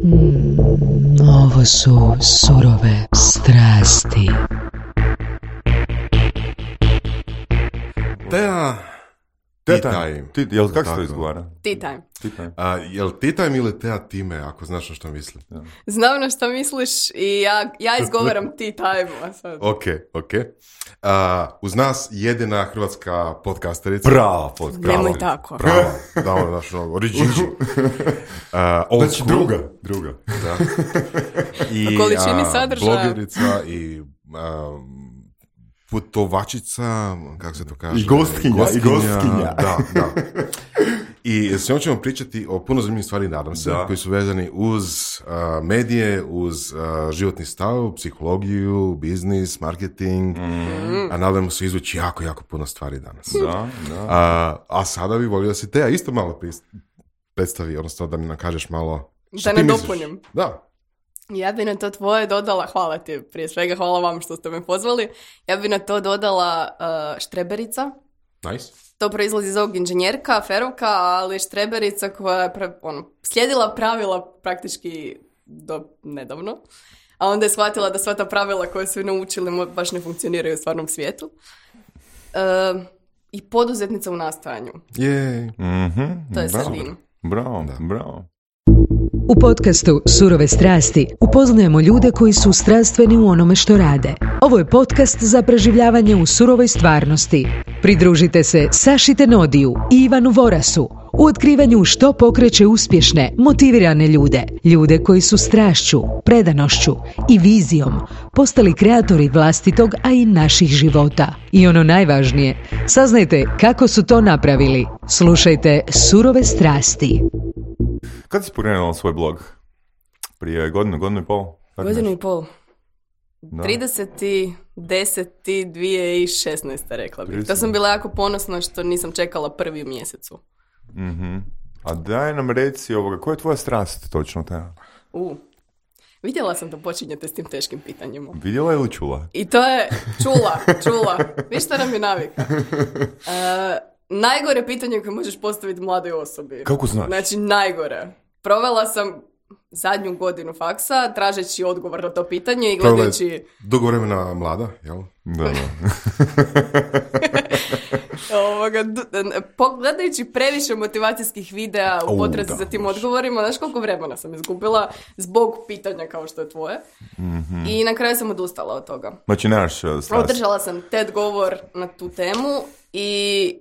Ovo su surove strasti. Tea time. Jel kako se to izgovara? Tea time. Jel tea time ili tea time, ako znaš na što mislim? Ja. Znam na što misliš i ja izgovaram tea time. Ok. Uz nas jedina hrvatska podcasterica. Prava podcast. Nemoj tako. Prava. Da, ono naš original. Znači druga. Da. I, po količini sadržaja. Blogerica i putovačica, kako se to kaže? I gostkinja. Da. I s njom ćemo pričati o puno zanimljivih stvari, nadam se, koji su vezani uz medije, uz životni stav, psihologiju, biznis, marketing, a nadamo se izvući jako puno stvari danas. Da. A sada bi volio da si Tea isto malo predstavi, odnosno da mi nam kažeš malo što da ti ne misliš. dopunim. Da. Ja bi na to tvoje dodala, hvala ti, prije svega hvala vam što ste me pozvali, ja bi na to dodala štreberica. Nice. To proizlazi iz ovog inženjerka, ferovka, ali štreberica koja je slijedila pravila praktički do nedavno, a onda je shvatila da sva ta pravila koje su naučili baš ne funkcioniraju u stvarnom svijetu. I poduzetnica u nastojanju. To je sredin. Bravo. U podcastu Surove strasti upoznajemo ljude koji su strastveni u onome što rade. Ovo je podcast za preživljavanje u surovoj stvarnosti. Pridružite se Saši Tenodiju i Ivanu Vorasu u otkrivanju što pokreće uspješne, motivirane ljude. Ljude koji su strašću, predanošću i vizijom postali kreatori vlastitog, a i naših života. I ono najvažnije, saznajte kako su to napravili. Slušajte Surove strasti. Kad si pokrenula svoj blog? Prije godinu i pol? Godinu i pol. 30.10.2016. rekla bih. To sam bila jako ponosna što nisam čekala prvi u mjesecu. A daj nam reci koja je tvoja strast točno ta? Vidjela sam da počinjete s tim teškim pitanjima. Vidjela ili čula? I to je čula. Viš što nam je navika? Najgore pitanje koje možeš postaviti mladoj osobi. Kako znaš? Znači, najgore. Provela sam zadnju godinu faksa, tražeći odgovor na to pitanje i gledajući... Dugo vremena mlada, jel? Da. Gledajući previše motivacijskih videa u potrazi za tim odgovorima, znaš koliko vremena sam izgubila zbog pitanja kao što je tvoje. I na kraju sam odustala od toga. Znači, nemaš strast. Održala sam TED govor na tu temu i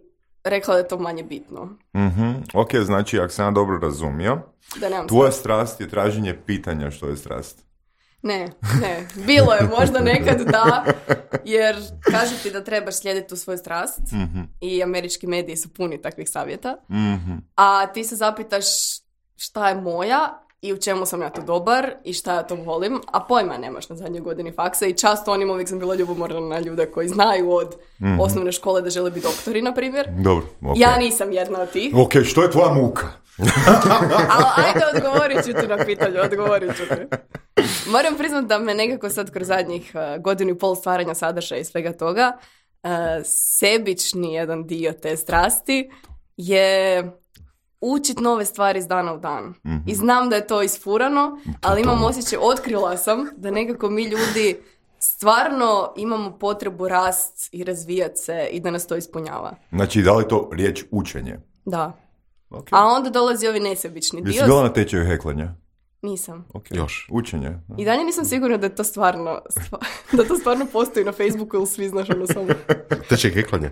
rekla da je to manje bitno. Ok, znači, ako sam ja dobro razumio, tvoja strast je traženje pitanja što je strast. Ne. Bilo je možda nekad da, jer kažu ti da trebaš slijediti tu svoju strast i američki mediji su puni takvih savjeta, a ti se zapitaš šta je moja i u čemu sam ja to dobar i šta ja to volim, a pojma nemaš na zadnjoj godini faksa i často uvijek sam bila ljubomorna na ljude koji znaju od osnovne škole da žele biti doktori, na primjer. Dobro, okay. Ja nisam jedna od tih. Ok, što je tvoja muka? Ali ajde, odgovorit ću ti na pitanje, Moram priznati da me nekako sad kroz zadnjih godinu i pol stvaranja sadržaja i svega toga, sebični jedan dio te strasti je učit nove stvari iz dana u dan. I znam da je to isfurano, ali imam osjećaj, otkrila sam da nekako mi ljudi stvarno imamo potrebu rast i razvijat se i da nas to ispunjava. Znači, da li to riječ učenje? Da. Okay. A onda dolazi ovi nesebični dio. Jesi bila na tečaju heklanja? Nisam. Okay. Još. Učenje. I dalje nisam sigurna da je to stvarno, da to stvarno postoji na Facebooku ili svi znaš ono samo. Tečaj heklanja.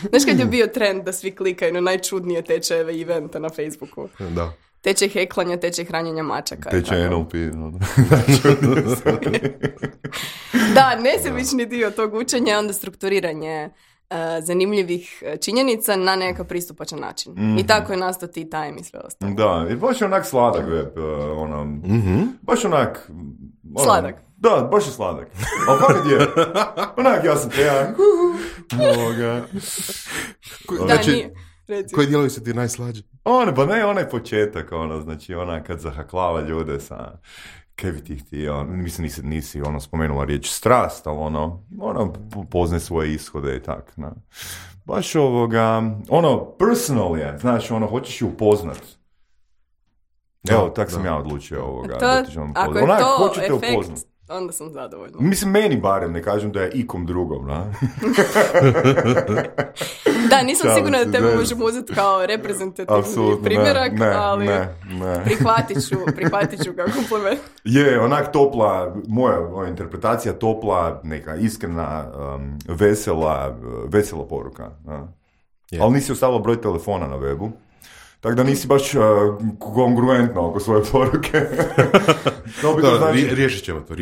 Znaš kad je bio trend da svi klikaju na najčudnije tečajeve eventa na Facebooku? Da. Tečaj heklanja, tečaj hranjenja mačaka. Tečaj NLP. Da, nesebični dio tog učenja je onda strukturiranje zanimljivih činjenica na nekakav pristupačan način. I tako je nastao tea time i sve ostalo. Da, i baš je onak sladak web, baš onak... Sladak. Da, baš je sladak. Ali fakat je. Onak, ja sam tejan. Znači, koji dijelovi su ti najslađi? Onaj početak, znači kad zahaklava ljude sa... Kaj bi ti htio, mislim nisi spomenula riječ strast, ali poznaj svoje ishode i tak, na. Baš personal je, znaš, hoćeš ju upoznat. Evo, tak sam ja odlučio ovoga. Ako je to efekt, onda sam zadovoljna. Mislim, meni barem, ne kažem da je ikom drugom, na? Da, nisam sigurna da tebe možemo uzeti kao reprezentativni primjerak, ali prihvatit ću kao kompliment. Je, onak topla, moja interpretacija topla, neka iskrena, vesela poruka. Ali nisi ostavila broj telefona na webu. Tako da nisi baš kongruentno oko svoje poruke. Riješit ćemo to,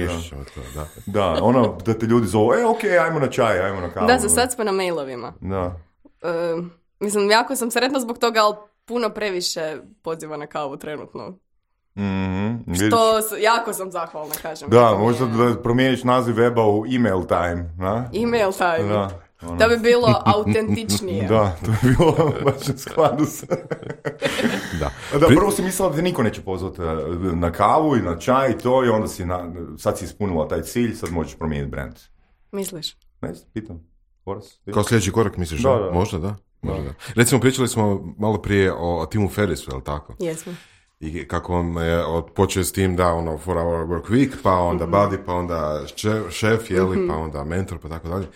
da. Da, ono da te ljudi zovu, okej, ajmo na čaj, ajmo na kavu. Da, za sad smo na mailovima. Da. Mislim, jako sam sretna zbog toga, ali puno previše poziva na kavu trenutno. Što jako sam zahvalna, kažem. Da, možda da promijeniš naziv weba u email time, na? Email time. Da. Da bi bilo autentičnije. Da, to bi bilo baš u skladu sa... Da, prvo si mislila da te niko neće pozvati na kavu i na čaj i to, i onda sad si ispunila taj cilj, sad možeš promijeniti brand. Misliš? Ne, pitam. Kao sljedeći korak misliš? Da. Možda, da. Recimo, pričali smo malo prije o Timu Ferrisu, je li tako? Jesmo. I kako on je počeo s tim da 4 hour work week, pa onda buddy, pa onda šef, jeli, pa onda mentor, pa tako dalje.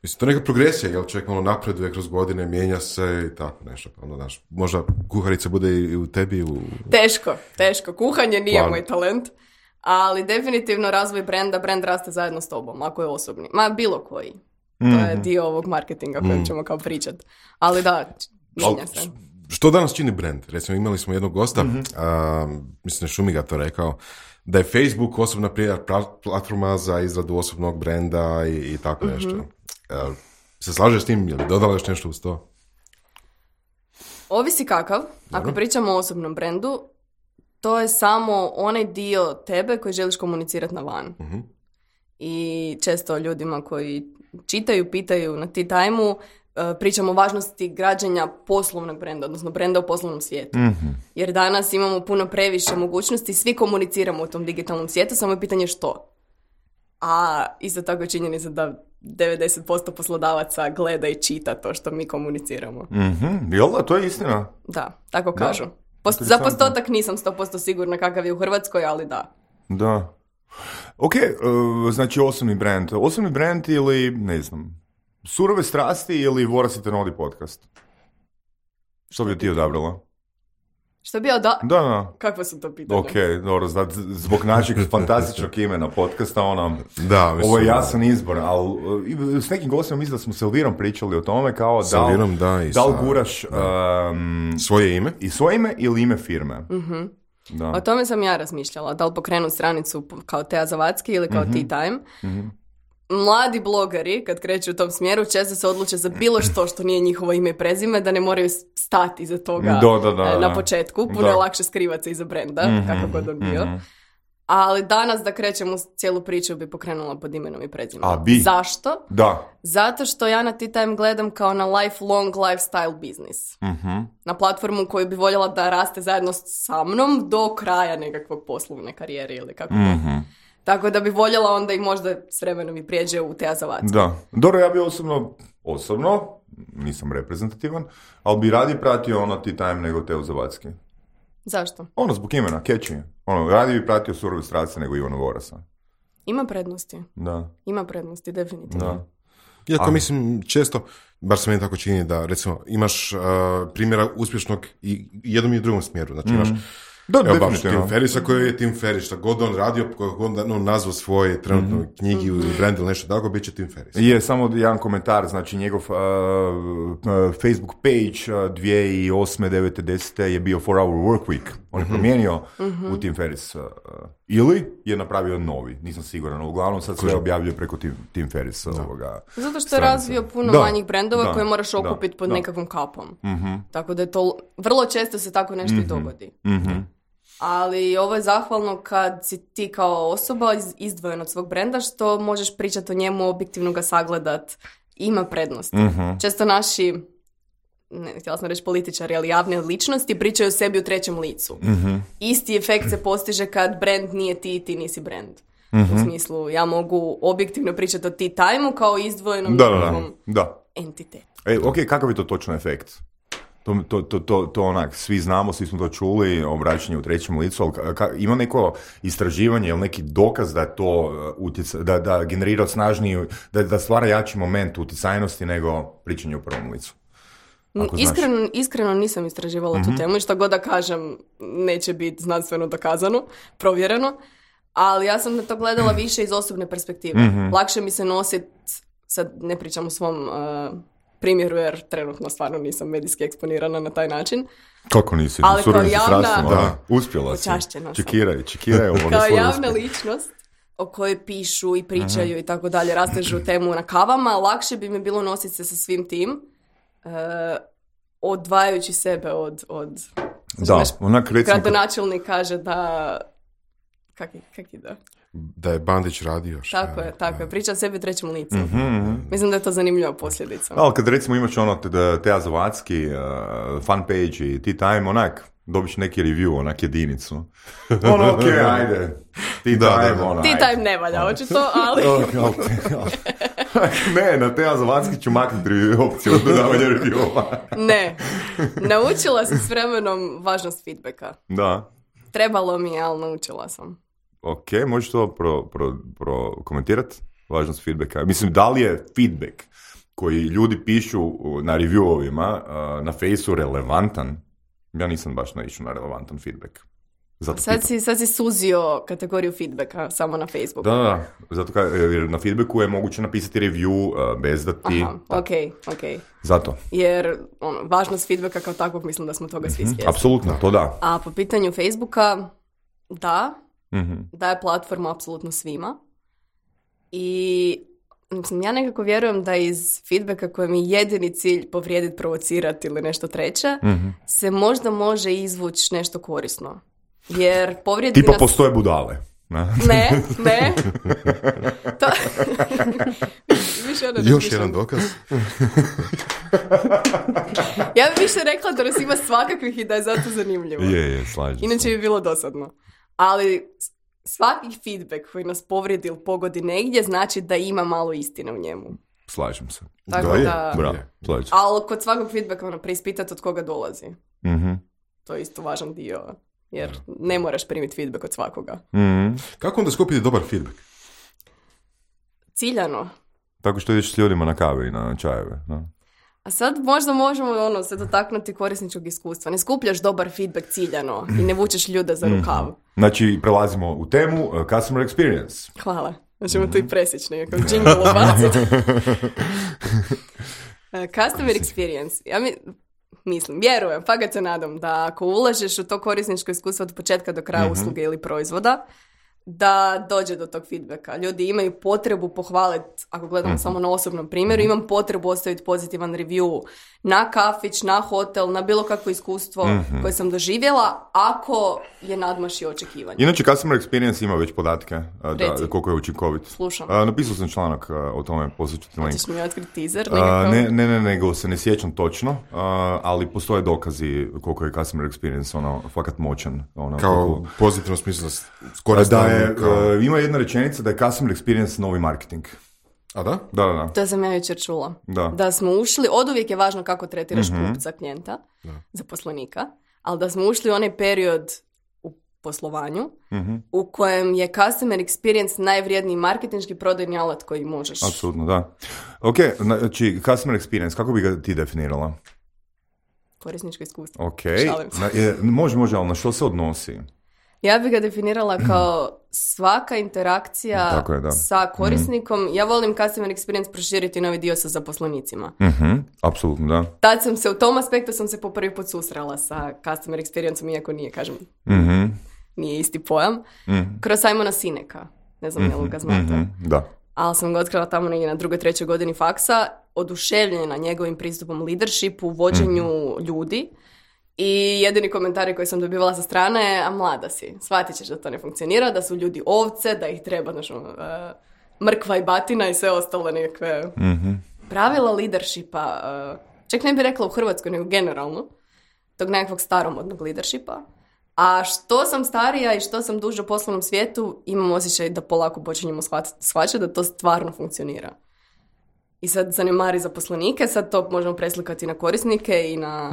Mislim, to je neka progresija, jel čovjek malo napreduje kroz godine, mijenja se i tako nešto. Onda, znaš, možda kuharica bude i u tebi. Teško. Kuhanje nije moj talent, ali definitivno razvoj brenda, brand raste zajedno s tobom, ako je osobni. Ma bilo koji. To je dio ovog marketinga kojem ćemo kao pričat. Ali da, mijenja se. Što danas čini brand? Recimo, imali smo jednog gosta, mislim da Šumiga to rekao, da je Facebook osobna platforma za izradu osobnog brenda i tako nešto. Se slažeš s tim ili dodala još nešto uz to? Ovisi kakav. Ako pričamo o osobnom brendu, to je samo onaj dio tebe koji želiš komunicirati na van. I često ljudima koji čitaju, pitaju na Tea Time-u, pričamo o važnosti građenja poslovnog brenda, odnosno brenda u poslovnom svijetu. Jer danas imamo puno previše mogućnosti, svi komuniciramo u tom digitalnom svijetu, samo je pitanje što. A isto tako je činjenica da 90% poslodavaca gleda i čita to što mi komuniciramo. Jel da, to je istina? Da, tako kažu. Za postotak nisam 100% sigurna kakav je u Hrvatskoj, ali da. Da. Ok, znači osobni brand. Osobni brand ili, ne znam, surove strasti ili Vorasite Nodi podcast? Što bi ti odabrala? Što bi da? Da. Kakva su to pitanja? Ok, dobro, zbog našeg fantastičnog imena podcasta, da, mislim, ovo je jasan izbor, ali s nekim gostima mislim da smo s Elvirom pričali o tome, kao da li guraš svoje ime? I svoje ime ili ime firme. Da. O tome sam ja razmišljala, da li pokrenu stranicu kao Tea Zavadski ili kao Tea Time. Mladi blogeri, kad kreću u tom smjeru, često se odluče za bilo što nije njihovo ime i prezime, da ne moraju stati iza toga na početku. Puno je lakše skrivati se iza brenda, kako god on bio. Ali danas da krećem u cijelu priču bi pokrenula pod imenom i prezimenom. Zašto? Da. Zato što ja na Tea Time gledam kao na lifelong lifestyle business. Na platformu koju bi voljela da raste zajedno sa mnom do kraja nekakvog poslovne karijere ili kako Tako da bi voljela onda i možda s vremenom i prijeđe u Tea Zavadski. Da. Dobro, ja bi osobno, nisam reprezentativan, ali bi radije pratio Tea Time nego Teo Zavadski. Zašto? Zbog imena, catchy. Radije bi pratio Surove strasti nego Ivana Vorasa. Ima prednosti. Da. Ima prednosti, definitivno. Da. Iako mislim često, bar se meni tako čini da recimo imaš primjera uspješnog i jednom i drugom smjeru. Znači imaš baš Tim Ferrisa koji je Tim Ferris, šta god on radio, kako god on nazvao svoje trenutno knjigi ili brand ili nešto tako, bit će Tim Ferris. Je, samo jedan komentar, znači njegov Facebook page 2008. 9. 10. je bio 4 hour work week. On je promijenio u Tim Ferris. Ili je napravio novi, nisam siguran. Uglavnom sad sve objavljuje preko Tim Ferrisa. Zato što je razvio puno manjih brendova koje moraš okupiti pod nekakvom kapom. Tako da je to, vrlo često se tako nešto i dogodi. Ali ovo je zahvalno kad si ti kao osoba izdvojen od svog brenda, što možeš pričati o njemu, objektivno ga sagledat, ima prednost. Često naši, htjela sam reći političari, ali javne ličnosti pričaju o sebi u trećem licu. Isti efekt se postiže kad brand nije ti i ti nisi brand. U smislu, ja mogu objektivno pričati o Tea Time-u kao izdvojenom njegovom entitetu. Ok, kakav je to točno efekt? To onak, svi znamo, svi smo to čuli, obraćanje u trećem licu, ali ima neko istraživanje ili neki dokaz da je to da generira snažniji, da stvara jači moment utjecajnosti nego pričanje u prvom licu? Iskreno nisam istraživala tu temu i što god da kažem neće biti znanstveno dokazano, provjereno, ali ja sam na to gledala više iz osobne perspektive. Lakše mi se nositi, sad ne pričam o svom primjeru jer trenutno stvarno nisam medijski eksponirana na taj način. Kako nisi? Ali kao javna... Uspjela si. Čekiraj ovo. Kao javna ličnost o kojoj pišu i pričaju i tako dalje, rastežu temu na kavama, lakše bi mi bilo nositi se sa svim tim, odvajajući sebe od da, onak recimo... Gradonačelnik kaže da... Kak ide? Da je Bandić radio. Tako je. Priča sebi u trećem licu. Mislim da je to zanimljiva posljedica. Ali kad recimo imaš ono Teja Zavadski, fan page i Tea Time, onak, dobiš neki review, onak jedinicu. Ono, okej, ajde. Tea Time ne valja, očito, ali... Ne, na Teja Zavadski ću maknuti opciju od dodavanja review-ova. Ne. Naučila sam s vremenom važnost feedbacka. Da. Trebalo mi je, ali naučila sam. Ok, možeš to prokomentirati? Važnost feedbacka. Mislim, da li je feedback koji ljudi pišu na review-ovima na Faceu relevantan? Ja nisam baš naišao na relevantan feedback. Sad si suzio kategoriju feedbacka samo na Facebooku. Da. Zato jer na feedbacku je moguće napisati review bez da ti... Aha, ok. Zato. Jer važnost feedbacka kao takvog mislim da smo toga svi svjesni. Apsolutno, to da. A po pitanju Facebooka, daje platformu apsolutno svima. I mislim, ja nekako vjerujem da iz feedbacka kojem je jedini cilj povrijediti, provocirati ili nešto treće, se možda može izvući nešto korisno. Jer povrijedi tipa nas... postoje budale. Ne. To... Još jedan dokaz. Ja bih više rekla da nas ima svakakvih i da je zato zanimljivo. Je, slažem se. Inače bi bilo dosadno. Ali svaki feedback koji nas povrijedi ili pogodi negdje znači da ima malo istine u njemu. Slažem se. Tako da... Bravo, slažem se. Ali kod svakog feedbacka preispitati od koga dolazi. To je isto važan dio. Jer ne moraš primiti feedback od svakoga. Kako onda skupiti dobar feedback? Ciljano. Tako što ideš s ljudima na kave i na čajeve. No? A sad možda možemo se dotaknuti korisničkog iskustva. Ne skupljaš dobar feedback ciljano i ne vučeš ljude za rukav. Znači, prelazimo u temu customer experience. Hvala. Možemo tu i presjeći nekako jingle obaciti. Customer experience. Ja vjerujem, pa ga se nadam da ako ulažeš u to korisničko iskustvo od početka do kraja usluge ili proizvoda, da dođe do tog feedbacka. Ljudi imaju potrebu pohvaliti, ako gledamo samo na osobnom primjeru, imam potrebu ostaviti pozitivan review na kafić, na hotel, na bilo kakvo iskustvo koje sam doživjela, ako je nadmašio očekivanje. Inače, customer experience ima već podatke koliko je učinkovit. Slušam. Napisao sam članak o tome, posjeću ti link. Hoćeš mi otkriti teaser? Ne, nego se ne sjećam točno, ali postoje dokazi koliko je customer experience fakat moćan. Kao pozitivno smislu ima jedna rečenica da je customer experience novi marketing. A da? Da. To sam ja jučer čula. Da smo ušli, oduvijek je važno kako tretiraš kupca, klijenta, zaposlenika, ali da smo ušli u onaj period u poslovanju u kojem je customer experience najvrijedniji marketinški prodajni alat koji možeš. Apsolutno, da. Ok, znači customer experience, kako bi ga ti definirala? Korisničko iskustvo. Ok, može, ali na što se odnosi? Ja bih ga definirala kao svaka interakcija sa korisnikom. Ja volim customer experience proširiti novi dio sa zaposlenicima. Apsolutno, da. Tad u tom aspektu sam se po prvi put susrela sa customer experienceom, iako nije, kažem, nije isti pojam. Kroz Simona Sineka. Ne znam, jel ga znate? Da. Ali sam ga otkrila tamo negdje na 2. 3. godini faksa, oduševljena njegovim pristupom leadershipu, vođenju ljudi. I jedini komentari koji sam dobivala sa strane je, a mlada si, shvatit ćeš da to ne funkcionira, da su ljudi ovce, da ih treba mrkva i batina i sve ostale nekakve pravila leadershipa. Čak ne bih rekla u Hrvatskoj, nego generalno, tog nekakvog staromodnog leadershipa. A što sam starija i što sam duže u poslovnom svijetu, imam osjećaj da polako počinjemo shvaćati da to stvarno funkcionira. i sad zanemari zaposlenike, sad to možemo preslikati na korisnike i na...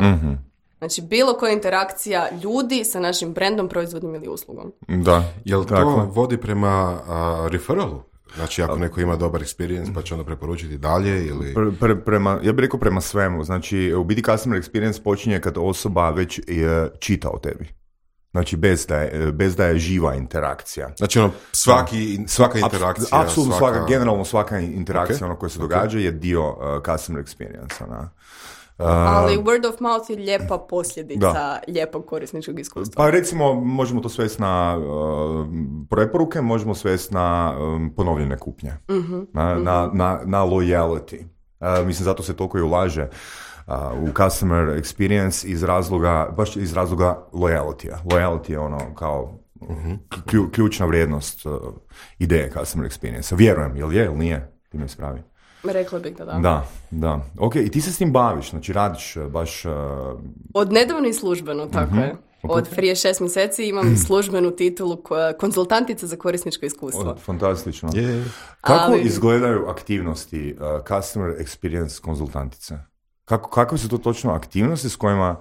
Znači, bilo koja interakcija ljudi sa našim brandom, proizvodom ili uslugom. Da. Jel to vodi prema referalu? Znači, ako neko ima dobar experience, pa će onda preporučiti dalje ili... Ja bih rekao prema svemu. Znači, u biti customer experience počinje kad osoba već čita o tebi. Znači, bez da je živa interakcija. Znači, svaka interakcija... Apsolutno generalno svaka interakcija koja se događa je dio customer experience. Ali word of mouth je lijepa posljedica lijepog korisničkog iskustva. Pa recimo, možemo to svesti na preporuke, možemo svesti na ponovljene kupnje, na loyalty. Mislim, zato se toliko i ulaže u customer experience baš iz razloga loyalty-a. Loyalty je ono kao ključna vrijednost ideje customer experience. Vjerujem, jel je ili nije? Ti me ispravi. Rekla bih da. Da. Ok, i ti se s tim baviš, znači radiš baš... Od nedavno i službeno, tako je. Od prije 6 mjeseci imam službenu titulu konzultantica za korisničko iskustvo. Fantastično. Kako izgledaju aktivnosti customer experience konzultantice? Kako su to točno aktivnosti s kojima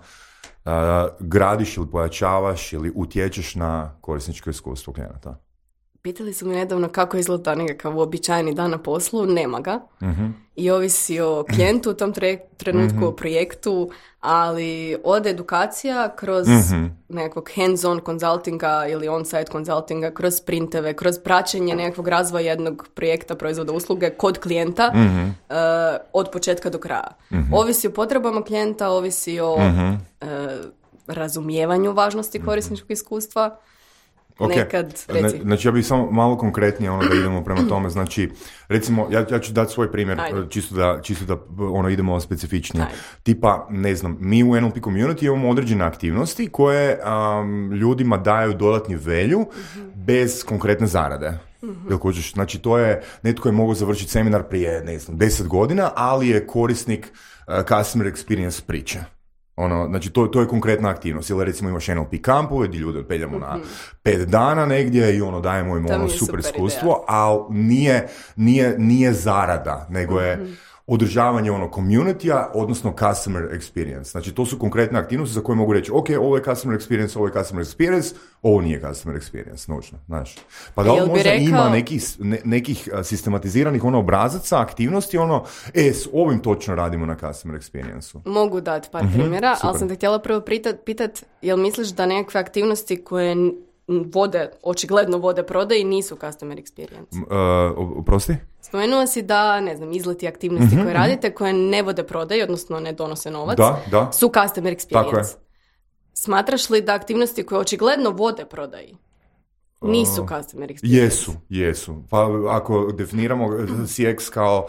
gradiš ili pojačavaš ili utječeš na korisničko iskustvo klijenata? Pitali su mi nedavno kako izgleda nekakav uobičajeni dan na poslu, nema ga. I ovisi o klijentu u tom trenutku, o projektu, ali od edukacija kroz nekakvog hands-on konzultinga ili on-site konzultinga, kroz sprinteve, kroz praćenje nekakvog razvoja jednog projekta, proizvoda, usluge kod klijenta od početka do kraja. Ovisi o potrebama klijenta, ovisi o razumijevanju važnosti korisničkog iskustva. Okay. Nekad, reci. Znači, ja bih samo malo konkretnije da idemo prema tome. Znači, recimo, ja ću dati svoj primjer, čisto da idemo specifičnije. Tipa, ne znam, mi u NLP community imamo određene aktivnosti koje ljudima daju dodatni value bez konkretne zarade. Znači, to je, netko je mogao završiti seminar prije, ne znam, 10 godina, ali je korisnik customer experience priče. Znači, to je konkretna aktivnost. Ili recimo imaš NLP kampove gdje ljude odpeljamo na 5 dana negdje i dajemo im super iskustvo, ali nije zarada, nego je održavanje community-a, odnosno customer experience. Znači, to su konkretne aktivnosti za koje mogu reći, ok, ovo je customer experience, ovo nije customer experience, nužno, znaš. Pa da li možda ima nekih sistematiziranih obrazaca, aktivnosti, s ovim točno radimo na customer experience-u. Mogu dati par primjera, ali sam te htjela prvo pitat, jel misliš da nekakve aktivnosti koje očigledno vode prodaji nisu customer experience? Oprosti? Spomenuo si da, ne znam, izleti aktivnosti koje radite, koje ne vode prodaji, odnosno ne donose novac, su customer experience. Smatraš li da aktivnosti koje očigledno vode prodaji nisu customer experience? Jesu. Pa ako definiramo CX kao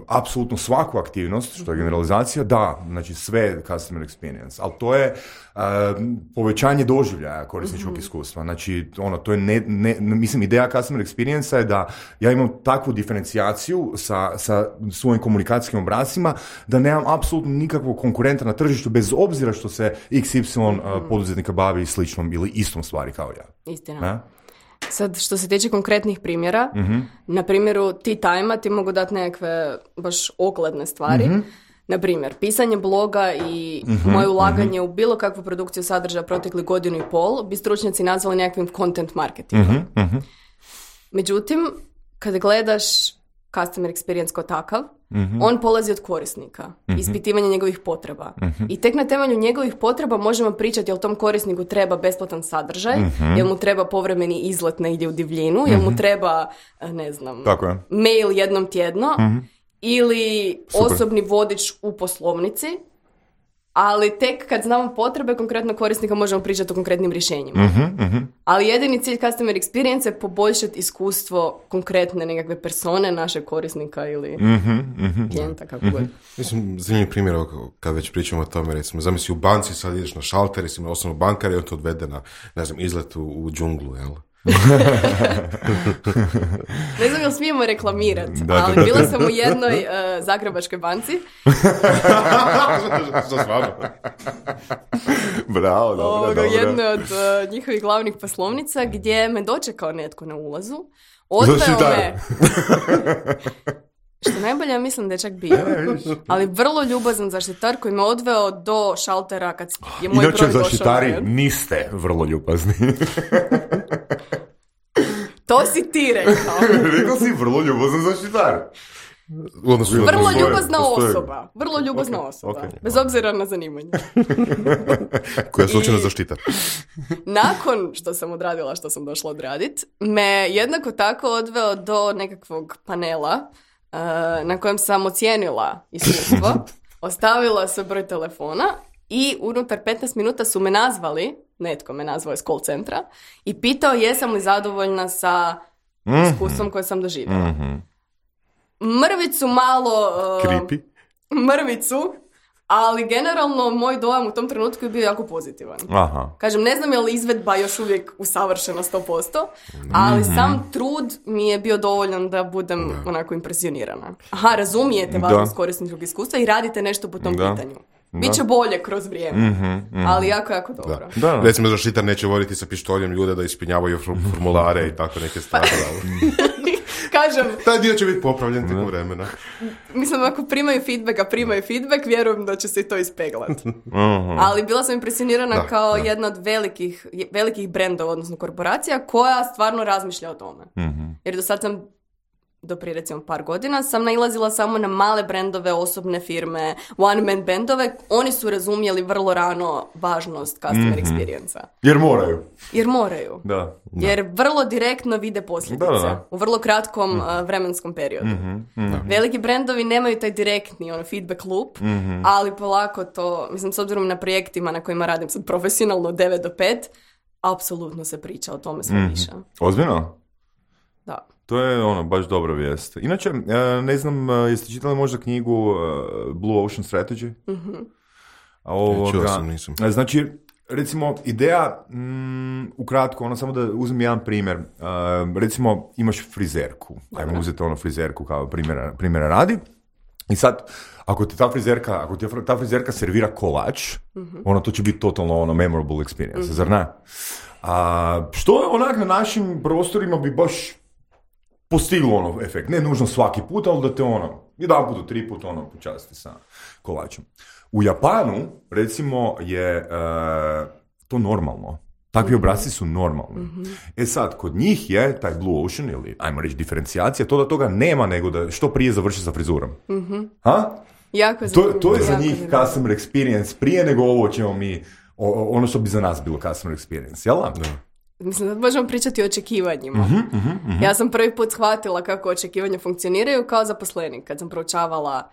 apsolutno svaku aktivnost, što je generalizacija, znači sve customer experience, ali to je povećanje doživljaja korisničkog iskustva. Znači, to je mislim, ideja customer experience je da ja imam takvu diferencijaciju sa svojim komunikacijskim obrascima da nemam apsolutno nikakvog konkurenta na tržištu, bez obzira što se XY poduzetnika bavi sličnom ili istom stvari kao ja. Istina. Sad, što se tiče konkretnih primjera, na primjeru T-Time-a ti mogu dati nekakve baš ogledne stvari. Na primjer, pisanje bloga i moje ulaganje u bilo kakvu produkciju sadržaja protekli 1.5 godinu bi stručnjaci nazvali nekakvim content marketingom. Međutim, kada gledaš customer experience kao takav, on polazi od korisnika, ispitivanja njegovih potreba. I tek na temelju njegovih potreba možemo pričati jel tom korisniku treba besplatan sadržaj, jel mu treba povremeni izlet negdje u divljinu, jel mu treba, ne znam, mail jednom tjedno, ili osobni vodič u poslovnici, ali tek kad znamo potrebe konkretno korisnika možemo pričati o konkretnim rješenjima. Ali jedini cilj customer experience je poboljšati iskustvo konkretne nekakve persone, našeg korisnika ili klijenta, kako god. Mislim, zanimljiv primjer, kad već pričamo o tome, recimo, zamisli u banci, sad ideš na šalter, jesi ima osnovno bankar i on te odvede na, ne znam, izlet u džunglu, jel? Ne znam jel smijemo reklamirati, ali bila sam u jednoj zagrebačkoj banci. Što s vama? Bravo, dobro. Jednoj od njihovih glavnih poslovnica gdje me dočekao netko na ulazu. Odveo me Što najbolje, ja mislim da je čak bio. Ali vrlo ljubazan zaštitar koji me odveo do šaltera kad je moj broj došao. Inače, zaštitari niste vrlo ljubazni. To si ti rekao. Rekao si vrlo ljubazan zaštitar. Vrlo ljubazna osoba. Vrlo ljubazna osoba. Bez obzira na zanimanje. Koja je slučajno zaštitar. Nakon što sam odradila što sam došla odradit, me jednako tako odveo do nekakvog panela na kojem sam ocijenila iskustvo, ostavila se broj telefona i unutar 15 minuta su me nazvali, netko me nazvao iz call centra, i pitao jesam li zadovoljna sa iskustvom koje sam doživjela. Mrvicu malo... Creepy. Mrvicu, ali generalno moj dojam u tom trenutku je bio jako pozitivan. Aha. Kažem, ne znam je li izvedba još uvijek usavršena 100%, ali sam trud mi je bio dovoljan da budem onako impresionirana. Aha, razumijete važnost korisničkog iskustva i radite nešto po tom pitanju. Biće bolje kroz vrijeme, ali jako, jako dobro. Da. Recimo, zaštitar neće voditi sa pištoljem ljude da ispunjavaju formulare i tako neke stvari. Kažem... Taj dio će biti popravljen tijekom vremena. Mislim, ako primaju feedback, vjerujem da će se i to ispeglati. Ali bila sam impresionirana kao jedna od velikih brendova, odnosno korporacija, koja stvarno razmišlja o tome. Jer do sad sam, do prije recimo par godina, sam nailazila samo na male brendove, osobne firme, one-man bandove. Oni su razumjeli vrlo rano važnost customer experience-a. Jer moraju. Da. Jer vrlo direktno vide posljedice u vrlo kratkom vremenskom periodu. Veliki brendovi nemaju taj direktni feedback loop, ali polako to, mislim, s obzirom na projektima na kojima radim sad profesionalno 9 do 5, apsolutno se priča o tome sve više. Ozbiljno? Da. To je baš dobra vijest. Inače, ne znam, jeste čitali možda knjigu Blue Ocean Strategy? Čuo sam, nisam. Znači, recimo, ideja, ukratko, samo da uzmem jedan primjer. Recimo, imaš frizerku. Ajmo uzeti frizerku kao primjera radi. I sad, ako ti ta frizerka servira kolač, to će biti totalno memorable experience, zar ne? Što je onak na našim prostorima bi baš postiglo efekt. Ne nužno svaki put, ali da te jedan put do 3 put počasti sa kolačem. U Japanu, recimo, je to normalno. Takvi obrasci su normalni. Sad, kod njih je taj Blue Ocean, ili ajmo reći diferencijacija, to da toga nema nego da što prije završi sa frizurom. Jako to je za njih customer experience prije nego ovo ćemo mi, ono što bi za nas bilo customer experience, jel? Mislim da možemo pričati o očekivanjima. Ja sam prvi put shvatila kako očekivanja funkcioniraju kao zaposlenik, kad sam proučavala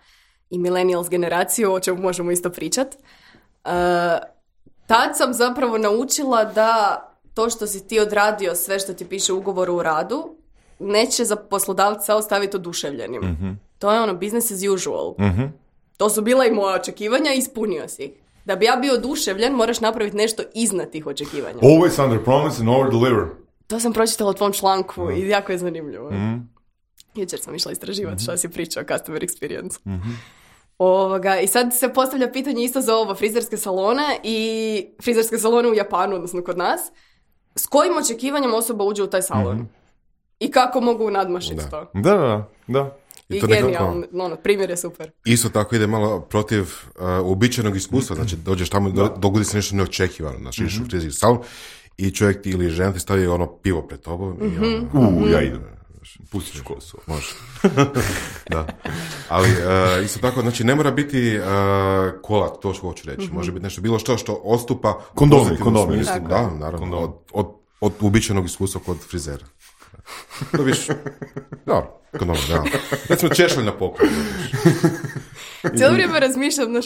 i millennials generaciju, o čemu možemo isto pričati. Tad sam zapravo naučila da to što si ti odradio sve što ti piše u ugovoru o radu, neće za poslodavca ostaviti oduševljenim. To je business as usual. To su bila i moja očekivanja i ispunio si ih. Da bi ja bio oduševljen, moraš napraviti nešto iznad tih očekivanja. Always under promise and over deliver. To sam pročitala u tvom članku i jako je zanimljivo. Jučer sam išla istraživati što si pričao o customer experience. I sad se postavlja pitanje isto za frizerske salone i frizerske salone u Japanu, odnosno kod nas. S kojim očekivanjem osoba uđe u taj salon? I kako mogu nadmašiti to? Da. I genijalno, primjer je super. Isto tako ide malo protiv uobičajenog iskustva, znači dođeš tamo, dogodi se nešto neočekivano, znači ideš u frizerski salon i čovjek ti ili žena ti stavi pivo pred tobom i ja idem. Pustiš kosu. Može. Da. Ali isto tako, znači ne mora biti kola, to što hoću reći. Može biti nešto bilo što odstupa kondomi. Da, naravno. Od uobičajenog iskustva kod frizera. To viš, da, kondomi, da. Recimo češalj na poklon. Cijelo vrijeme razmišljam, znaš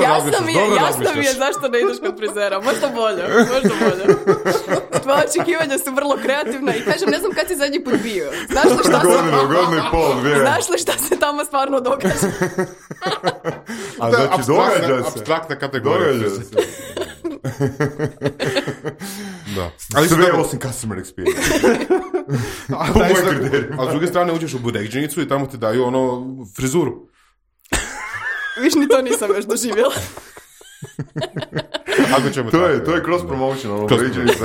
Jasno mi je zašto ne ideš kod frizera. Možda bolje. Tvoje očekivanja su vrlo kreativna i kažem, ne znam kad si zadnji put bio. Znaš li šta se tamo stvarno događa? A znači događa se. Apstraktna kategorija. Da. Ali sve osim customer experience. A s druge strane uđeš u burekđenicu i tamo ti daju frizuru. Viš, ni to nisam još doživjela. Ako ćemo To tako, je cross promotion, ono, Cross vriđeni se.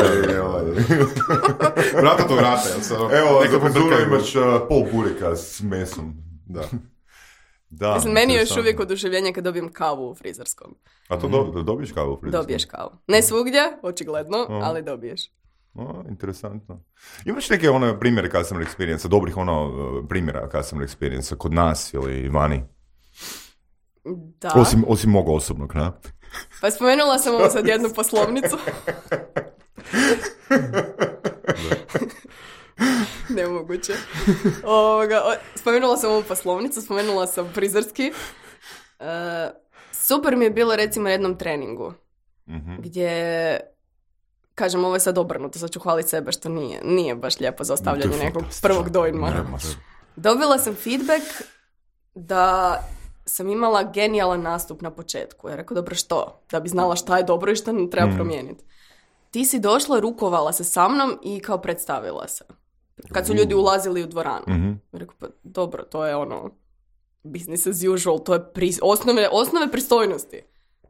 vrata to vrata, jel sad? Evo, Neka za frizuru pobrkaju. imaš pol bureka s mesom. Da. Da, Mislim, meni je još interesantno. uvijek oduševljenje kad dobijem kavu u frizerskom. A to dobiješ kavu u frizerskom? Dobiješ kavu. Ne svugdje, očigledno, ali dobiješ. Interesantno. Imaš neke primjere customer experience, dobrih primjera customer experience kod nas ili vani? Da. Osim mog osobnog, ne? Pa spomenula sam ovo sad jednu poslovnicu. Nemoguće. Spomenula sam ovu poslovnicu, spomenula sam frizerski. Super mi je bilo recimo na jednom treningu. Gdje, kažem, ovo je sad obrnuto, sad ću hvaliti sebe što nije baš lijepo za ostavljanje nekog prvog dojma. Dobila sam feedback da sam imala genijalan nastup na početku. Ja rekao, dobro, što? Da bi znala šta je dobro i šta ne treba promijeniti. Ti si došla, rukovala se sa mnom i kao predstavila se. Kad su ljudi ulazili u dvoranu. Ja rekao, pa dobro, to je business as usual, to je osnove pristojnosti.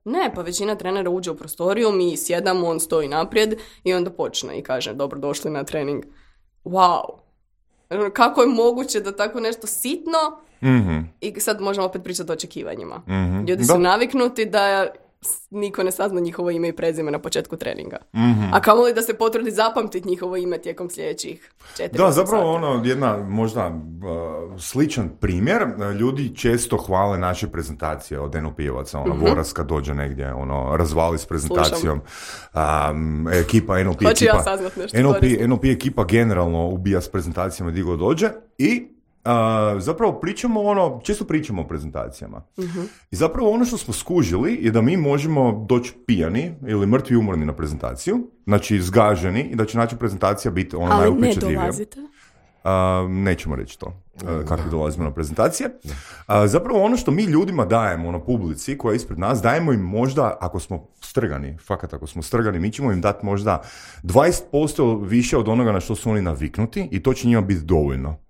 Ne, pa većina trenera uđe u prostoriju, mi sjedamo, on stoji naprijed i onda počne i kaže, dobro, došli na trening. Wow! Kako je moguće da tako nešto sitno i sad možemo opet pričati o očekivanjima. Ljudi su naviknuti da niko ne sazna njihovo ime i prezime na početku treninga. A kamoli da se potrudi zapamtiti njihovo ime tijekom sljedećih 4 Da, zapravo jedna možda sličan primjer. Ljudi često hvale naše prezentacije od NLP-evaca. Voras kad dođe negdje, razvali s prezentacijom. Ekipa NLP Hoću ekipa. Ja saznat nešto NLP ekipa generalno ubija s prezentacijama gdje god dođe i zapravo često pričamo o prezentacijama. I zapravo ono što smo skužili je da mi možemo doći pijani ili mrtvi umorni na prezentaciju, znači zgaženi i da će naša prezentacija biti najupečatljivija. Ali ne dolazite? Nećemo reći to, kako dolazimo na prezentacije. Zapravo ono što mi ljudima dajemo na publici koja je ispred nas, dajemo im možda, ako smo strgani, mi ćemo im dati možda 20% više od onoga na što su oni naviknuti i to će njima biti dovoljno.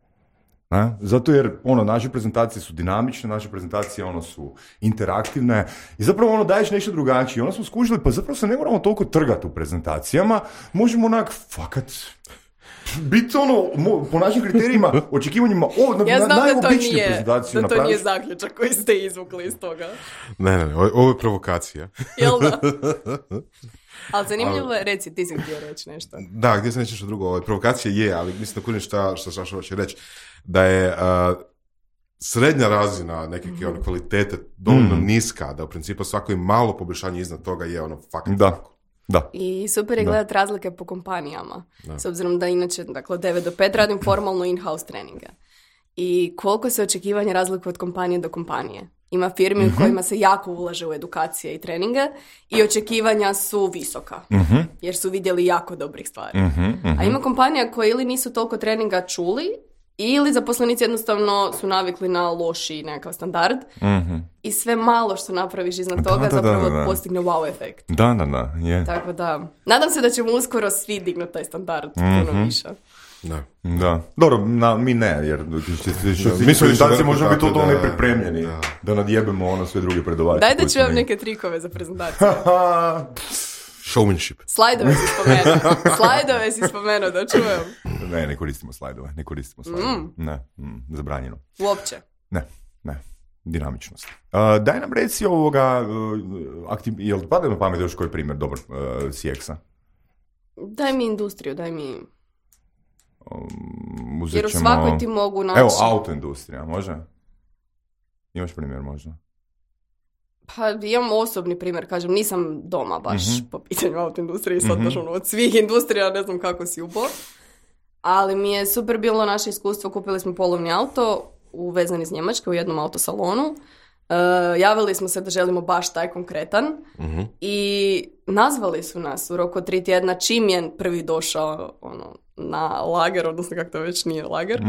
Zato jer naše prezentacije su dinamične, naše prezentacije su interaktivne i zapravo daješ nešto drugačije. Smo skužili, pa zapravo se ne moramo toliko trgati u prezentacijama, možemo fakat biti po našim kriterijima, očekivanjima, najobičniju prezentaciju napraviš. Ja znam da to nije zaključak koji ste izvukli iz toga. Ne, ovo je provokacija. Jel da? Ali zanimljivo je, reci, ti si htio reći nešto. Da, gdje sam reći nešto drugo, provokacija je, ali mislim da kunim šta hoće reći, da je srednja razina neke kvalitete dovoljno niska, da u principu svako je malo poboljšanje iznad toga je fakat tako. Da. I super je gledati razlike po kompanijama. S obzirom da inače, dakle, od 9 do 5 radim formalno in-house treninge. I koliko se očekivanja razlikuje od kompanije do kompanije. Ima firmi u kojima se jako ulaže u edukacije i treninge i očekivanja su visoka, jer su vidjeli jako dobrih stvari. A ima kompanija koje ili nisu toliko treninga čuli, ili zaposlenici jednostavno su navikli na loši nekakav standard i sve malo što napraviš iznad toga zapravo postigne wow efekt. Da, je. Tako da, nadam se da ćemo uskoro svi dignuti taj standard puno više. Da. Dobro, mi ne, jer mi prezentacije možemo biti totalno nepripremljeni da nadjebemo sve druge predavače. Daj da ću vam neke trikove za prezentaciju. Showmanship. Slajdove si spomenuo, da čujem. Ne koristimo slajdove. Ne, zabranjeno. Uopće? Ne. Dinamičnost. Daj nam reci jel pada na pamet još koji primjer dobar CX-a? Daj mi industriju, daj mi... Jer u svakoj ti mogu naći... Evo, autoindustrija, može? Imaš primjer možda? Pa imam osobni primjer, kažem, nisam doma baš po pitanju autoindustrije, sad baš od svih industrija, ne znam kako si upao. Ali mi je super bilo naše iskustvo, kupili smo polovni auto uvezan iz Njemačke u jednom autosalonu. Javili smo se da želimo baš taj konkretan i nazvali su nas u roku 3 tjedna čim je prvi došao na lager, odnosno kako to već nije lager.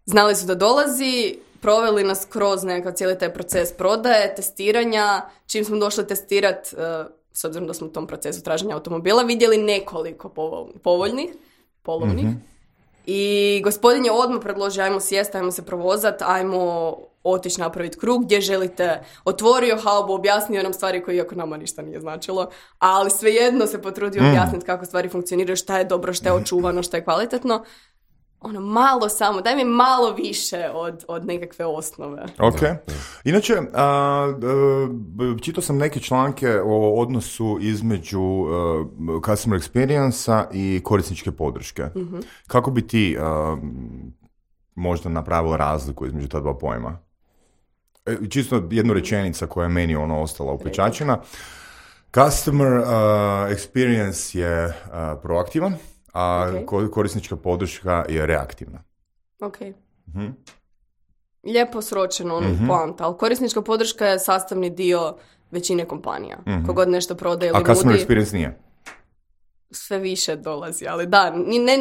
Znali su da dolazi, proveli nas kroz nekakav cijeli taj proces prodaje, testiranja. Čim smo došli testirati, s obzirom da smo u tom procesu traženja automobila, vidjeli nekoliko polovnih. I gospodin je odmah predložio, ajmo sjesti, ajmo se provozati, ajmo otići napraviti krug, gdje želite, otvorio haubu, objasnio nam stvari koje iako nama ništa nije značilo, ali svejedno se potrudio objasniti kako stvari funkcioniraju, šta je dobro, šta je očuvano, šta je kvalitetno. Ono, malo samo, daj mi malo više od nekakve osnove. Ok. Inače, čitao sam neke članke o odnosu između customer experience-a i korisničke podrške. Kako bi ti možda napravila razliku između ta dva pojma? Čisto jednu rečenica koja je meni ostala upečačena. Customer experience je proaktivan, a korisnička podrška je reaktivna. Ok. Lijepo sročeno poanta, ali korisnička podrška je sastavni dio većine kompanija. Kogod nešto prodaje ili nudi. A customer experience nije? Sve više dolazi, ali da, ne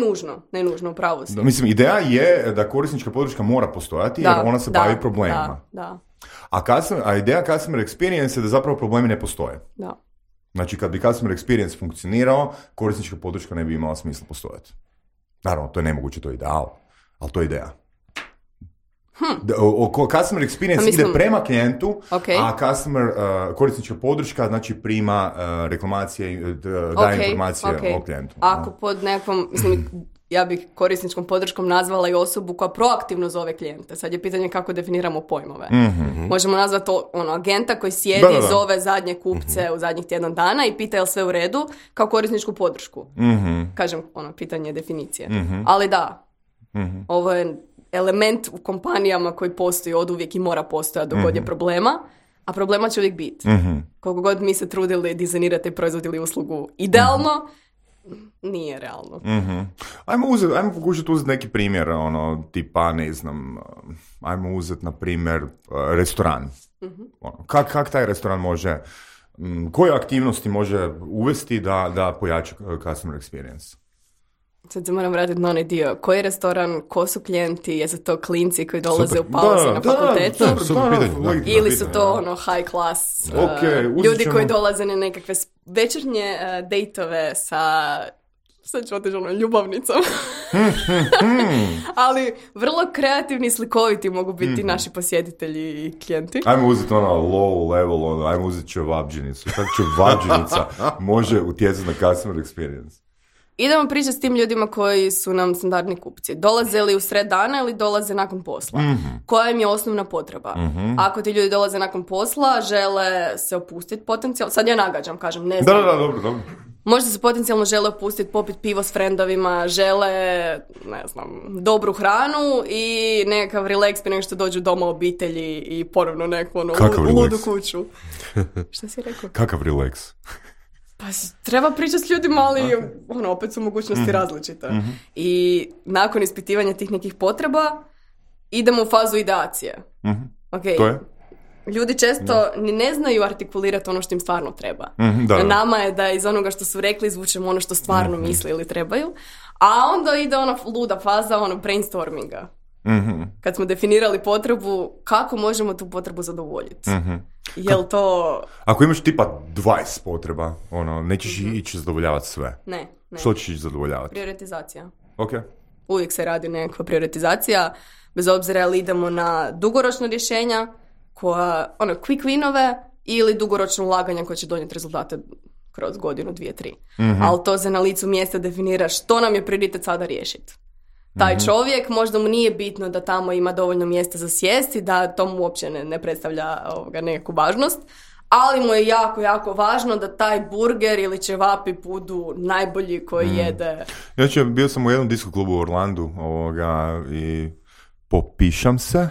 nužno, upravo si. Mislim, ideja je da korisnička podrška mora postojati jer ona se bavi problemima. Da. A ideja customer experience je da zapravo problemi ne postoje. Da. Znači, kad bi customer experience funkcionirao, korisnička podrška ne bi imala smisla postojati. Naravno, to je nemoguće, to je ideal, ali to je ideja. Customer experience ide prema klijentu, a korisnička podrška znači prima reklamacije, daje informacije o klijentu. Ako pod nekom, ja bih korisničkom podrškom nazvala i osobu koja proaktivno zove klijente. Sad je pitanje kako definiramo pojmove. Možemo nazvati agenta koji sjedi i zove zadnje kupce u zadnjih tjedan dana i pita je li sve u redu kao korisničku podršku. Kažem, pitanje definicije. Ali da, ovo je element u kompanijama koji postoji oduvijek i mora postojati dok god je problema, a problema će uvijek biti. Koliko god mi se trudili dizajnirati proizvod ili uslugu idealno, nije realno. Ajmo pokušati uzeti neki primjer, tipa, ne znam, ajmo uzeti, na primjer, restoran. Kak taj restoran može, koje aktivnosti može uvesti da pojača customer experience? Sad se moram vratiti na onaj dio. Koji je restoran, ko su klijenti, jesu to klinci koji dolaze u pauze na fakultetu? Ili su to high class ljudi koji dolaze na nekakve večernje dejtove sa, sad ću otići ljubavnicom. Ali vrlo kreativni i slikoviti mogu biti naši posjetitelji i klijenti. Ajmo uzeti low level, ajmo uzeti čevabđinicu. Kako čevabđinica može utjecati na customer experience? Idemo pričati s tim ljudima koji su nam standardni kupci. Dolaze li u sred dana ili dolaze nakon posla? Koja im je osnovna potreba? Ako ti ljudi dolaze nakon posla, žele se opustiti potencijalno. Sad ja nagađam, kažem, ne znam. Da, dobro. Možda se potencijalno žele opustiti, popiti pivo s frendovima, žele, ne znam, dobru hranu i nekakav relax prije nego što dođu doma obitelji i ponovno neku ludu kuću. Šta si rekao? Kakav relax? Pa treba pričati s ljudima, ali opet su mogućnosti različite. I nakon ispitivanja tih nekih potreba idemo u fazu ideacije. To je? Ljudi često ni ne znaju artikulirati ono što im stvarno treba. Na nama je da iz onoga što su rekli izvučemo ono što stvarno misle ili trebaju. A onda ide ona luda faza brainstorminga. Kad smo definirali potrebu, kako možemo tu potrebu zadovoljiti? Jel to... Ako imaš tipa 20 potreba, nećeš ići zadovoljavati sve. Ne. Što ćeš ići zadovoljavati? Prioritizacija. Ok. Uvijek se radi nekakva prioritizacija, bez obzira ali idemo na dugoročna rješenja, koja, quick winove ili dugoročno ulaganja koje će donijeti rezultate kroz godinu, 2, 3. Ali to se na licu mjesta definira što nam je prioritet sada riješiti. Taj čovjek, možda mu nije bitno da tamo ima dovoljno mjesta za sjesti, da to mu uopće ne predstavlja nekakvu važnost, ali mu je jako, jako važno da taj burger ili ćevapi budu najbolji koji jede. Ja bio sam u jednom disko klubu u Orlandu i popišam se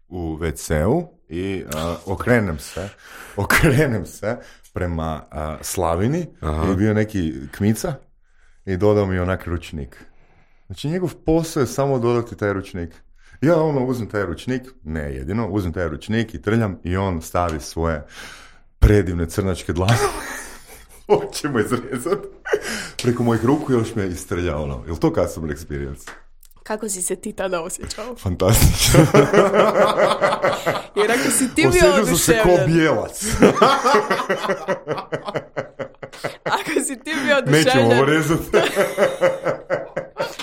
u WC-u i okrenem se prema Slavini. I bio neki kmica i dodao mi onak ručnik. Znači, njegov posao je samo dodati taj ručnik. Ja uzmem taj ručnik, ne jedino, uzmem taj ručnik i trljam i on stavi svoje predivne crnačke dlanove. Hoćemo izrezati. Preko mojih ruku još me istrlja Jel to customer experience? Kako si se ti tada osjećao? Fantastično. Jer ako si ti bio oduševljen... Osjećao sam se ko bijelac. Ako si ti bio oduševljen... Nećemo ovo rezati.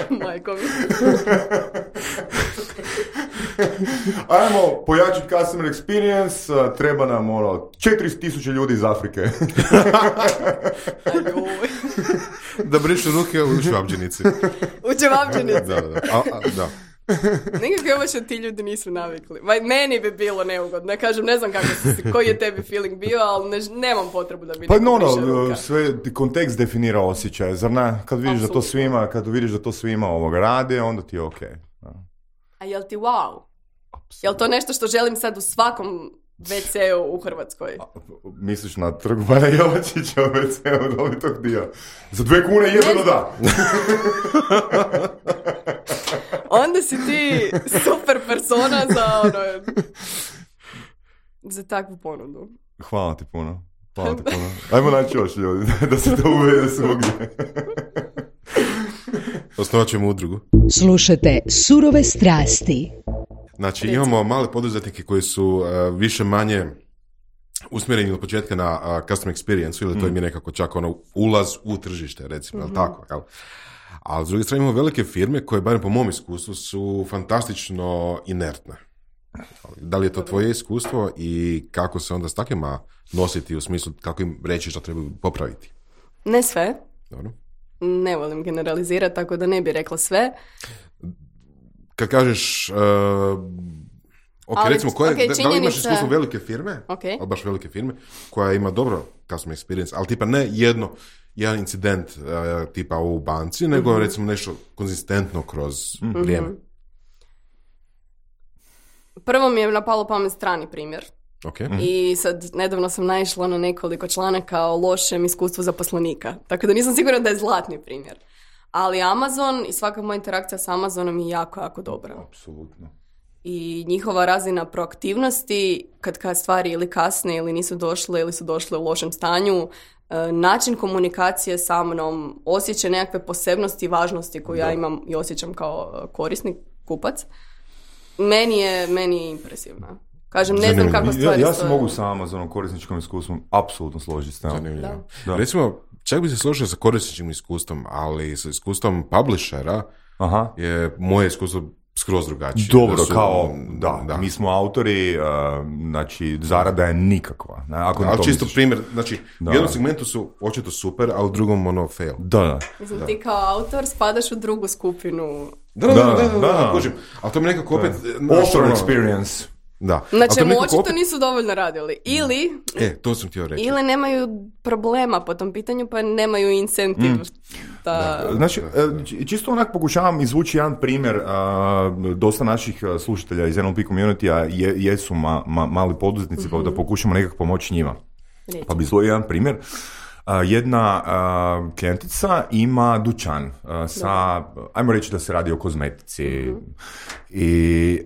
Majko mi. Ajmo pojačiti customer experience, treba nam 4000 ljudi iz Afrike. Da brišu ruke u čevapdžinici. U čevapdžinici. Da. Nekako još ti ljudi nisu navikli. Meni bi bilo neugodno. Kažem, ne znam koji je tebi feeling bio, ali nemam potrebu da bi pa sve kontekst definira osjećaj. Zar ne? Kad vidiš da to svima rade, onda ti je okej. A jel ti wow? Jel to nešto što želim sad u svakom WC-u u Hrvatskoj? Misliš na Trgu Bana Jelačića u WC-u, da li tog dio? Za 2 kune jedno da. Onda si ti super persona za takvu ponudu. Hvala ti puno. Ajmo naći još ljudi, da se to uvede svugdje. Osnovat ćemo udrugu. Slušajte Surove strasti. Znači, imamo male poduzetnike koji su više manje usmjereni od početka na customer experience, ili to im je nekako čak ulaz u tržište, recimo, tako, jel? Ali s druge strane imamo velike firme koje, barem po mom iskustvu, su fantastično inertne. Da li je to tvoje iskustvo i kako se onda s takvima nositi u smislu kako im reći što treba popraviti? Ne sve. Dobro. Ne volim generalizirati, tako da ne bi rekla sve. Kad kažeš, recimo, da li imaš iskustvo velike firme, ali baš velike firme, koja ima dobro customer experience, ali tipa ne jedan incident tipa u banci, nego recimo nešto konzistentno kroz vrijeme. Prvo mi je napalo pamet strani primjer. Okay. I sad nedavno sam naišla na nekoliko članaka o lošem iskustvu zaposlenika. Tako da nisam sigurna da je zlatni primjer. Ali Amazon i svaka moja interakcija s Amazonom je jako, jako dobra. Apsolutno. I njihova razina proaktivnosti, kad stvari ili kasne ili nisu došle ili su došle u lošem stanju, način komunikacije sa mnom, osjećaj nekakve posebnosti i važnosti koju ja imam i osjećam kao korisnik, kupac, meni je impresivna. Kažem, ne znam kako stvari ja se mogu sa Amazonom korisničkom iskustvom apsolutno složiti s njom. Da. Recimo, čak bi se složio sa korisničkim iskustvom, ali sa iskustvom publishera je moje iskustvo skroz drugačije. Dobro, mi smo autori, znači zarada je nikakva. Ali čisto primjer, znači u jednom segmentu su očito super, a u drugom fail. Da. Mislim, ti kao autor spadaš u drugu skupinu. Da, kužim. Ali to mi nekako opet... Author experience. Da. Znači, očito nisu dovoljno radili. Ili... to sam htio reći. Ili nemaju problema po tom pitanju, pa nemaju incentiv. Znači, čisto onak pokušavam izvući jedan primjer. Dosta naših slušatelja iz NLP community-a jesu mali poduzetnici, pa da pokušamo nekako pomoći njima. Pa bi izvojio jedan primjer. Jedna klijentica ima dućan sa, ajmo reći da se radi o kozmetici. I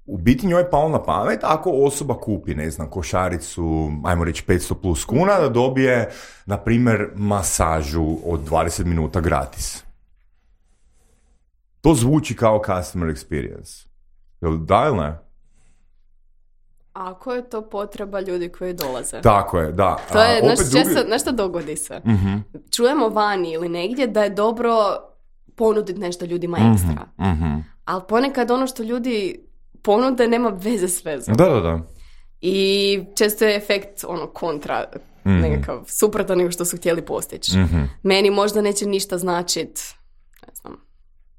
u biti njoj je palo na pamet, ako osoba kupi, ne znam, košaricu, ajmo reći 500 plus kuna, da dobije, na primjer, masažu od 20 minuta gratis. To zvuči kao customer experience. Jel da ili ne? Ako je to potreba ljudi koji dolaze. Tako je, da. To je, znaš što dogodi se? Čujemo vani ili negdje da je dobro ponuditi nešto ljudima ekstra. Ali ponekad ono što ljudi ponude nema veze s vezom. Da. I često je efekt kontra, nekakav suprotan nego što su htjeli postići. Meni možda neće ništa značit, ne znam,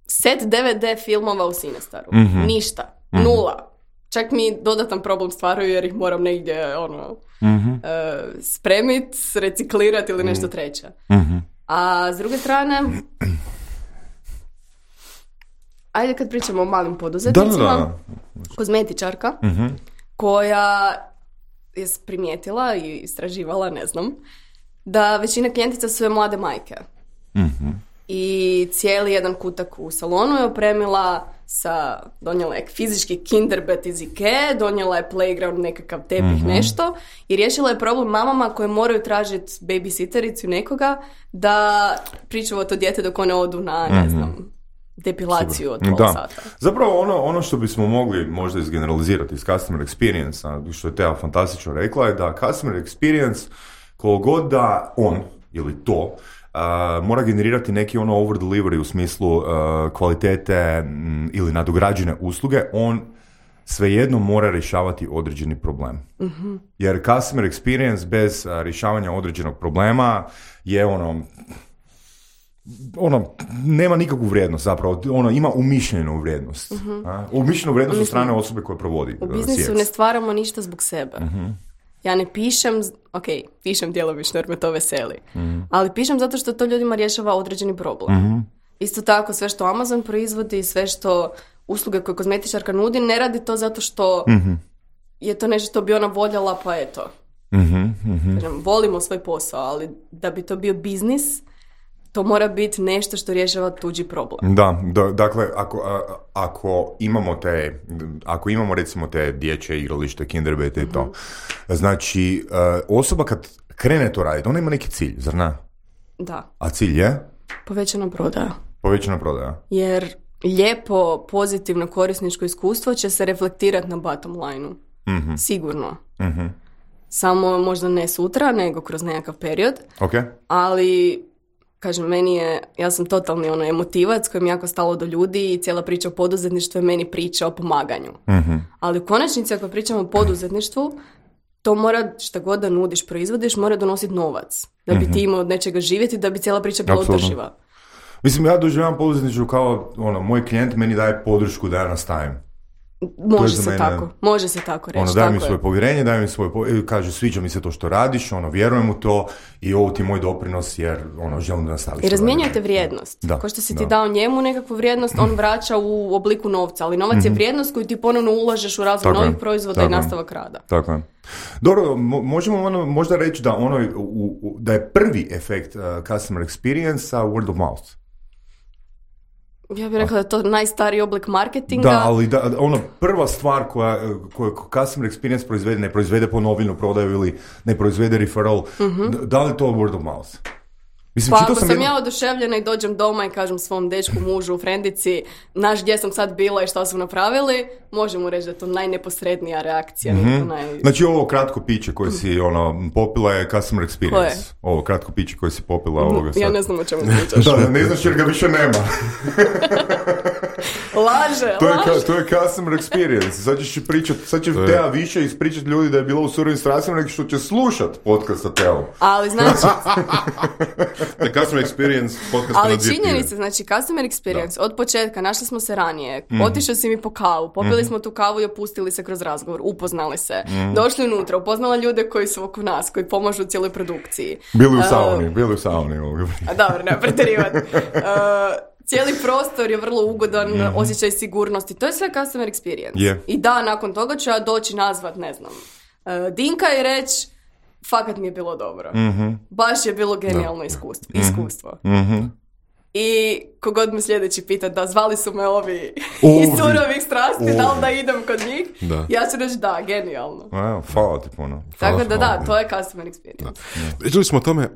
set DVD filmova u Cinestaru. Ništa. Nula. Čak mi dodatan problem stvaraju jer ih moram negdje spremit, reciklirati ili nešto treće. A s druge strane, ajde kad pričamo o malim poduzetnicima, kozmetičarka koja je primijetila i istraživala, ne znam, da većina klijentica su je mlade majke. I cijeli jedan kutak u salonu je opremila donijela je fizički kinderbed iz Ikea, donijela je playground, nekakav tepih, nešto, i riješila je problem mamama koje moraju tražiti babysittericu nekoga da pričuva to dijete dok one odu na, ne znam, depilaciju od pola sata. Zapravo ono što bismo mogli možda izgeneralizirati iz customer experience, što je Teja fantastično rekla, je da customer experience, koliko god da on ili to mora generirati neki over delivery u smislu kvalitete ili nadograđene usluge, on svejedno mora rješavati određeni problem. Jer customer experience bez rješavanja određenog problema je nema nikakvu vrijednost zapravo, ima umišljenu vrijednost. Umišljenu vrijednost od strane osobe koja provodi. U biznisu ne stvaramo ništa zbog sebe. Ja ne pišem, pišem djelomično jer me to veseli, ali pišem zato što to ljudima rješava određeni problem. Isto tako, sve što Amazon proizvodi, sve što usluge koje kozmetičarka nudi, ne radi to zato što je to nešto što bi ona voljela, pa eto. Volimo svoj posao, ali da bi to bio biznis, to mora biti nešto što rješava tuđi problem. Dakle, ako imamo recimo te dječje igralište, kinderbete i to, znači osoba kad krene to raditi, ona ima neki cilj, zar ne? Da. A cilj je? Povećana prodaja. Povećana prodaja. Jer lijepo, pozitivno korisničko iskustvo će se reflektirati na bottom line-u. Sigurno. Samo možda ne sutra, nego kroz nekakav period. Okay. Ali, kažem, ja sam totalni emotivac kojem jako stalo do ljudi i cijela priča o poduzetništvu je meni priča o pomaganju. Ali u konačnici, ako pričamo o poduzetništvu, to mora, šta god da nudiš, proizvodiš, mora donositi novac. Da bi ti imao od nečega živjeti, da bi cijela priča bila održiva. Mislim, ja doživljavam poduzetništvo kao, moj klijent meni daje podršku da ja nastavim. Može se tako reći. Daje mi svoje povjerenje, kaže, sviđa mi se to što radiš, vjerujem u to i ovo ti je moj doprinos jer želim da nastaviš. I razmjenjujete vrijednost. Ko što si ti dao njemu nekakvu vrijednost, on vraća u obliku novca, ali novac je vrijednost koju ti ponovno ulažeš u razvoj novih proizvoda i nastavak rada. Tako je. Dobro, možemo možda reći da da je prvi efekt customer experience word of mouth. Ja bih rekla da je to najstariji oblik marketinga. Da, ali prva stvar koju customer experience proizvede, ne proizvede ponovljenu prodaju ili ne proizvede referral, da li je to word of mouth? Mislim, pa ako sam ja oduševljena i dođem doma i kažem svom dečku, mužu, frendici, gdje sam sad bila i šta su napravili, možemo reći da je to najneposrednija reakcija. Znači ovo kratko piće koje si popila je customer experience. Koje? Ovo kratko piće koje si popila ovoga sad. Ja ne znam o čemu pričaš. Da, ne znaš jer ga više nema. Laže. To je customer experience. Sad će Teja više ispričati ljudi da je bila u surovim strastima nego što će slušat podcast sa Teom. Ali znači... The customer experience podcast. Ali činjenice, znači customer experience, od početka, našli smo se ranije, otišao si mi po kavu, popili smo tu kavu i opustili se kroz razgovor, upoznali se, došli unutra, upoznala ljude koji su oko nas, koji pomažu u cijeloj produkciji. Bili u sauni. Dobro, ne pretjerivati. Cijeli prostor je vrlo ugodan, osjećaj sigurnosti, to je sve customer experience. Yeah. I da, nakon toga ću ja doći nazvat, ne znam, Dinka i reći, fakat mi je bilo dobro. Baš je bilo genijalno iskustvo. I kogod me sljedeći pita da zvali su me ovi iz surovih strasti, da li da idem kod njih, ja ću reći da, genijalno. Hvala ti puno. Tako da, to je customer experience. Pričali smo o tome...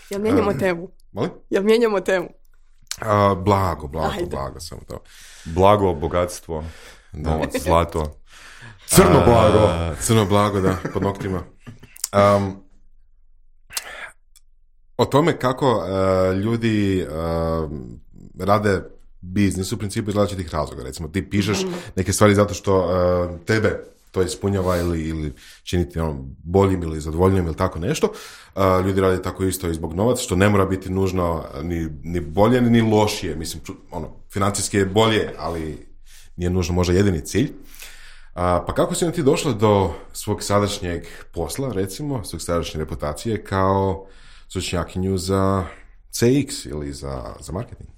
Jel mijenjamo temu? Molim? Jel mijenjamo temu? Blago, samo to. Blago, bogatstvo, novac, zlato. Crno blago, da, pod noktima. O tome kako ljudi rade biznis u principu iz različitih razloga. Recimo, ti pišeš neke stvari zato što tebe to ispunjava ili čini ti boljim ili zadovoljnim ili tako nešto. Ljudi rade tako isto i zbog novaca, što ne mora biti nužno ni bolje ni lošije. Mislim, financijski je bolje, ali nije nužno možda jedini cilj. Pa kako si ti došla do svog sadašnjeg posla, recimo, svog sadašnje reputacije kao stručnjakinju za CX ili za marketing?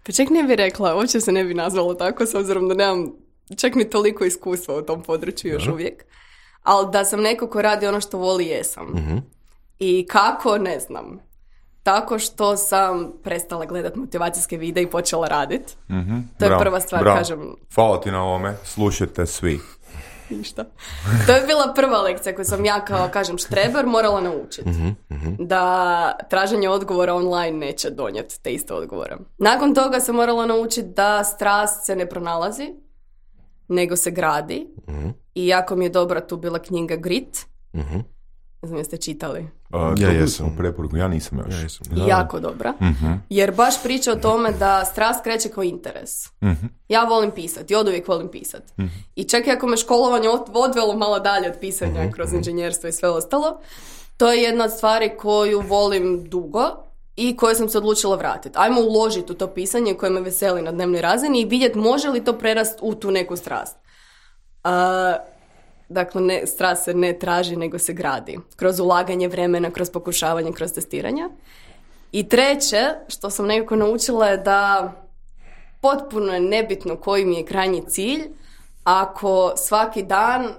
Pa čak ne bi rekla, uopće se ne bi nazvalo tako, s obzirom da nemam čak ni toliko iskustva u tom području još uvijek. Ali da sam neko ko radi ono što voli, jesam. I kako, ne znam. Tako što sam prestala gledat motivacijske videe i počela raditi. To je prva stvar, kažem. Hvala ti na ovome, slušajte svi. Ništa. To je bila prva lekcija koju sam ja kao, kažem, štreber morala naučiti. Da traženje odgovora online neće donijeti te iste odgovore. Nakon toga sam morala naučiti da strast se ne pronalazi, nego se gradi. I jako mi je dobra tu bila knjiga Grit. Ne znam jeste čitali. Ja jesam. Preporuku, ja nisam još. Ja jesam. Jako dobra. Jer baš priča o tome da strast kreće kao interes. Ja volim pisati, ja oduvijek volim pisati. I čak i ako me školovanje odvelo malo dalje od pisanja kroz inženjerstvo i sve ostalo, to je jedna od stvari koju volim dugo i koju sam se odlučila vratiti. Ajmo uložiti u to pisanje koje me veseli na dnevnoj razini i vidjeti može li to prerast u tu neku strast. Dakle, strast se ne traži, nego se gradi. Kroz ulaganje vremena, kroz pokušavanje, kroz testiranja. I treće, što sam nekako naučila je da potpuno je nebitno koji mi je krajnji cilj, ako svaki dan,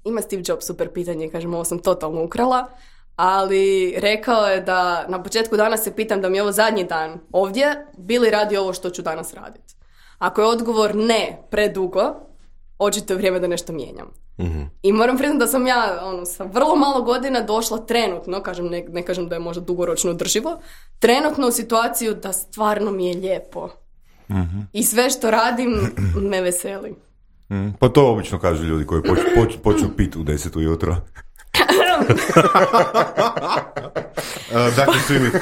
ima Steve Jobs super pitanje, kažem, ovo sam totalno ukrala, ali rekao je da na početku dana se pitam da mi je ovo zadnji dan ovdje, bi li radi ovo što ću danas raditi. Ako je odgovor ne, predugo, očito je vrijeme da nešto mijenjam. I moram priznati da sam ja sa vrlo malo godina došla trenutno, kažem, ne kažem da je možda dugoročno održivo, trenutno u situaciju da stvarno mi je lijepo. I sve što radim me veseli. Pa to obično kažu ljudi koji počnu piti u 10 ujutro. Dakle, svi mi tu,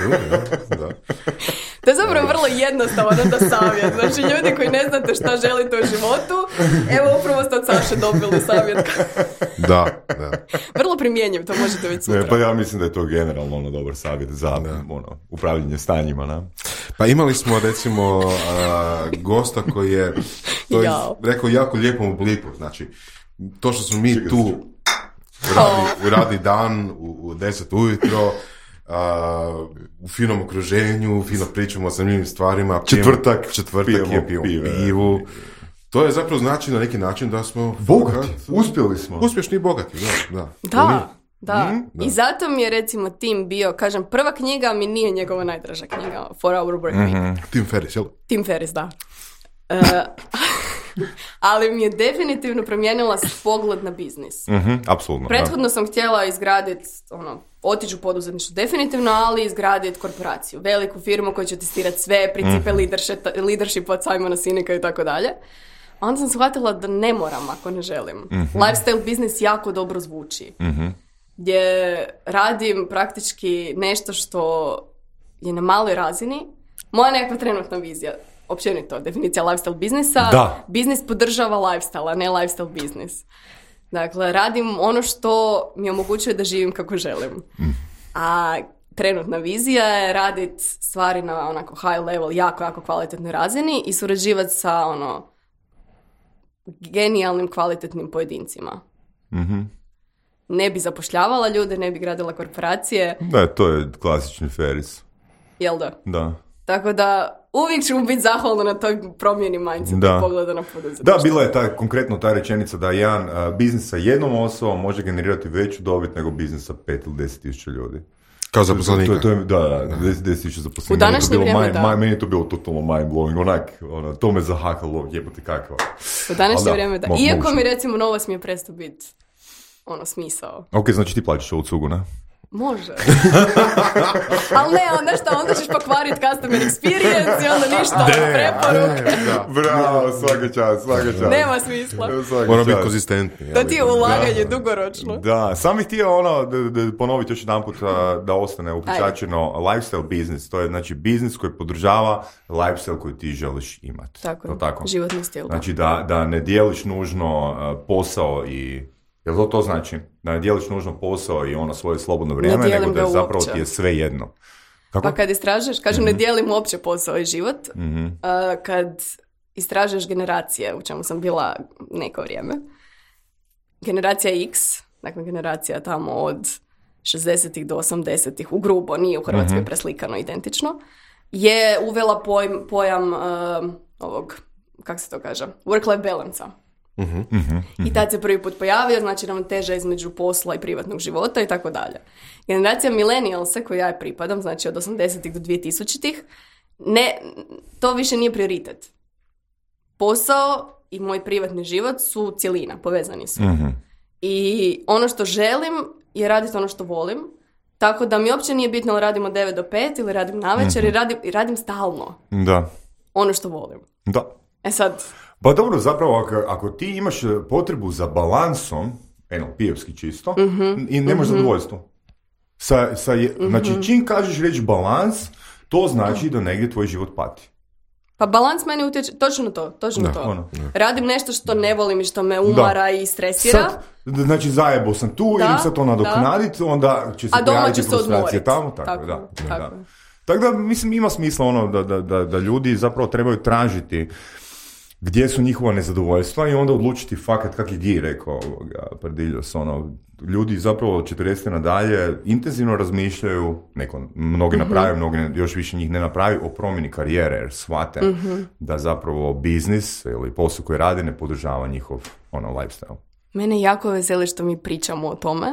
da. To je zapravo vrlo jednostavan onda savjet. Znači, ljudi koji ne znate šta želite u životu, evo upravo ste od Saše dobili savjet. Da. Vrlo primjenjiv, to možete već sutra. Pa ja mislim da je to generalno dobar savjet za upravljanje stanjima. Pa imali smo recimo gosta koji je to je rekao jako lijepom obliku. Znači, to što smo mi tu radi dan u 10 ujutro, u finom okruženju, fino pričamo o zanimljivim stvarima, četvrtak pijemo pivu. To je zapravo znači na neki način da smo bogati, uspjeli smo. Uspješni i bogati, da. I zato mi je recimo Tim bio, kažem, prva knjiga mi nije njegova najdraža knjiga, 4 Hour Work Week. Tim Ferriss, jel? Tim Ferriss, da. Ali mi je definitivno promijenila pogled na biznis. Apsolutno. Prethodno sam htjela izgraditi, otići u poduzetništvo definitivno, ali izgraditi korporaciju, veliku firmu koja će testirati sve principe leadership od Simona Sineka i tako dalje. Onda sam shvatila da ne moram ako ne želim. Lifestyle biznis jako dobro zvuči. Gdje radim praktički nešto što je na maloj razini. Moja nekakva trenutna vizija, općenito, definicija lifestyle biznisa, biznis podržava lifestyle, a ne lifestyle biznis. Dakle, radim ono što mi omogućuje da živim kako želim. A trenutna vizija je raditi stvari na onako high level, jako kvalitetnoj razini i surađivati sa genijalnim, kvalitetnim pojedincima. Ne bi zapošljavala ljude, ne bi gradila korporacije. Da, to je klasični Ferriss. Jel da? Da. Tako da uvijek ću biti zahvalna na toj promjeni mindseta i pogleda na poduzetništvo. Da, bila je konkretno ta rečenica da jedan biznis sa jednom osobom može generirati veću dobit nego biznis sa 5 ili 10 tisuća ljudi. Kao zaposlenika. Da, 10 tisuća zaposlenika. U današnje vrijeme, da. Meni je to bilo totalno mind-blowing, to me zahakalo, jebate kakva. U današnje vrijeme, da. Iako mi recimo Novos mi je prestao biti smisao. Ok, znači ti plaćaš ovu cugu, ne? Može. Ali ne, onda ćeš pokvariti customer experience i onda ništa, preporuke. Bravo, svaka čast. Nema smisla. Mora biti konzistentni. To ti je ulaganje dugoročno. Da, sam bih htio ponoviti još jedan put da ostane upečačeno lifestyle business. To je znači biznis koji podržava lifestyle koji ti želiš imati. Tako, životni stil. Znači da ne dijeliš nužno posao i... Jel to znači? Da ne dijeliš nužno posao i svoje slobodno vrijeme, nego da je zapravo ti je sve jedno. Kako? Pa kad istražuješ, kažem, ne dijelim uopće posao i život, kad istražuješ generacije, u čemu sam bila neko vrijeme, generacija X, dakle generacija tamo od 60-ih do 80-ih, u grubo, nije u Hrvatskoj preslikano identično, je uvela pojam ovog, kako se to kaže, work-life balance-a. I tad se prvi put pojavio, znači ravnoteža između posla i privatnog života i tako dalje. Generacija millennialsa, koju ja pripadam, znači od 80-ih do 2000-ih, to više nije prioritet. Posao i moj privatni život su cjelina, povezani su. I ono što želim je raditi ono što volim, tako da mi uopće nije bitno da radim od 9 do 5 ili radim navečer i radim stalno. Da. Ono što volim. Da. Sad... Pa dobro, zapravo ako ti imaš potrebu za balansom, NLP-evski čisto, i nemaš zadovoljstvo. Znači, čim kažeš reći balans, to znači da negdje tvoj život pati. Pa balans meni utječe, točno to. Radim nešto što ne volim i što me umara i stresira. Znači, zajebo sam tu, idem sad to nadoknaditi, onda će se pojaviti frustracija tamo. Tako. Tako da, mislim, ima smisla da ljudi zapravo trebaju tražiti gdje su njihova nezadovoljstva i onda odlučiti fakat, kak je Gi rekao Pardiljos, ljudi zapravo od 40 nadalje intenzivno razmišljaju, mnogi napravi, mnogi još više njih ne napravi, o promjeni karijere, jer shvate da zapravo biznis ili posao koji rade ne podržava njihov lifestyle. Mene jako veseli što mi pričamo o tome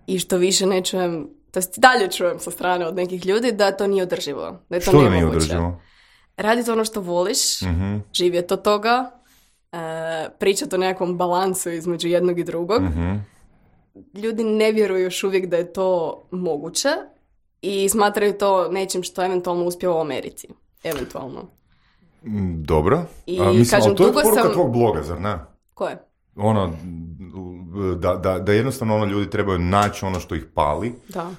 i što više ne čujem, to dalje čujem sa strane od nekih ljudi da to nije održivo, da je to nemoguće. Što da nije održivo? Raditi ono što voliš, živjeti od toga, pričati o nekakvom balansu između jednog i drugog. Ljudi ne vjeruju još uvijek da je to moguće i smatraju to nečim što eventualno uspije u Americi. Eventualno. Dobro. I mislim, kažem, to je poruka tvog bloga, zar ne? Koje? Da jednostavno ljudi trebaju naći ono što ih pali,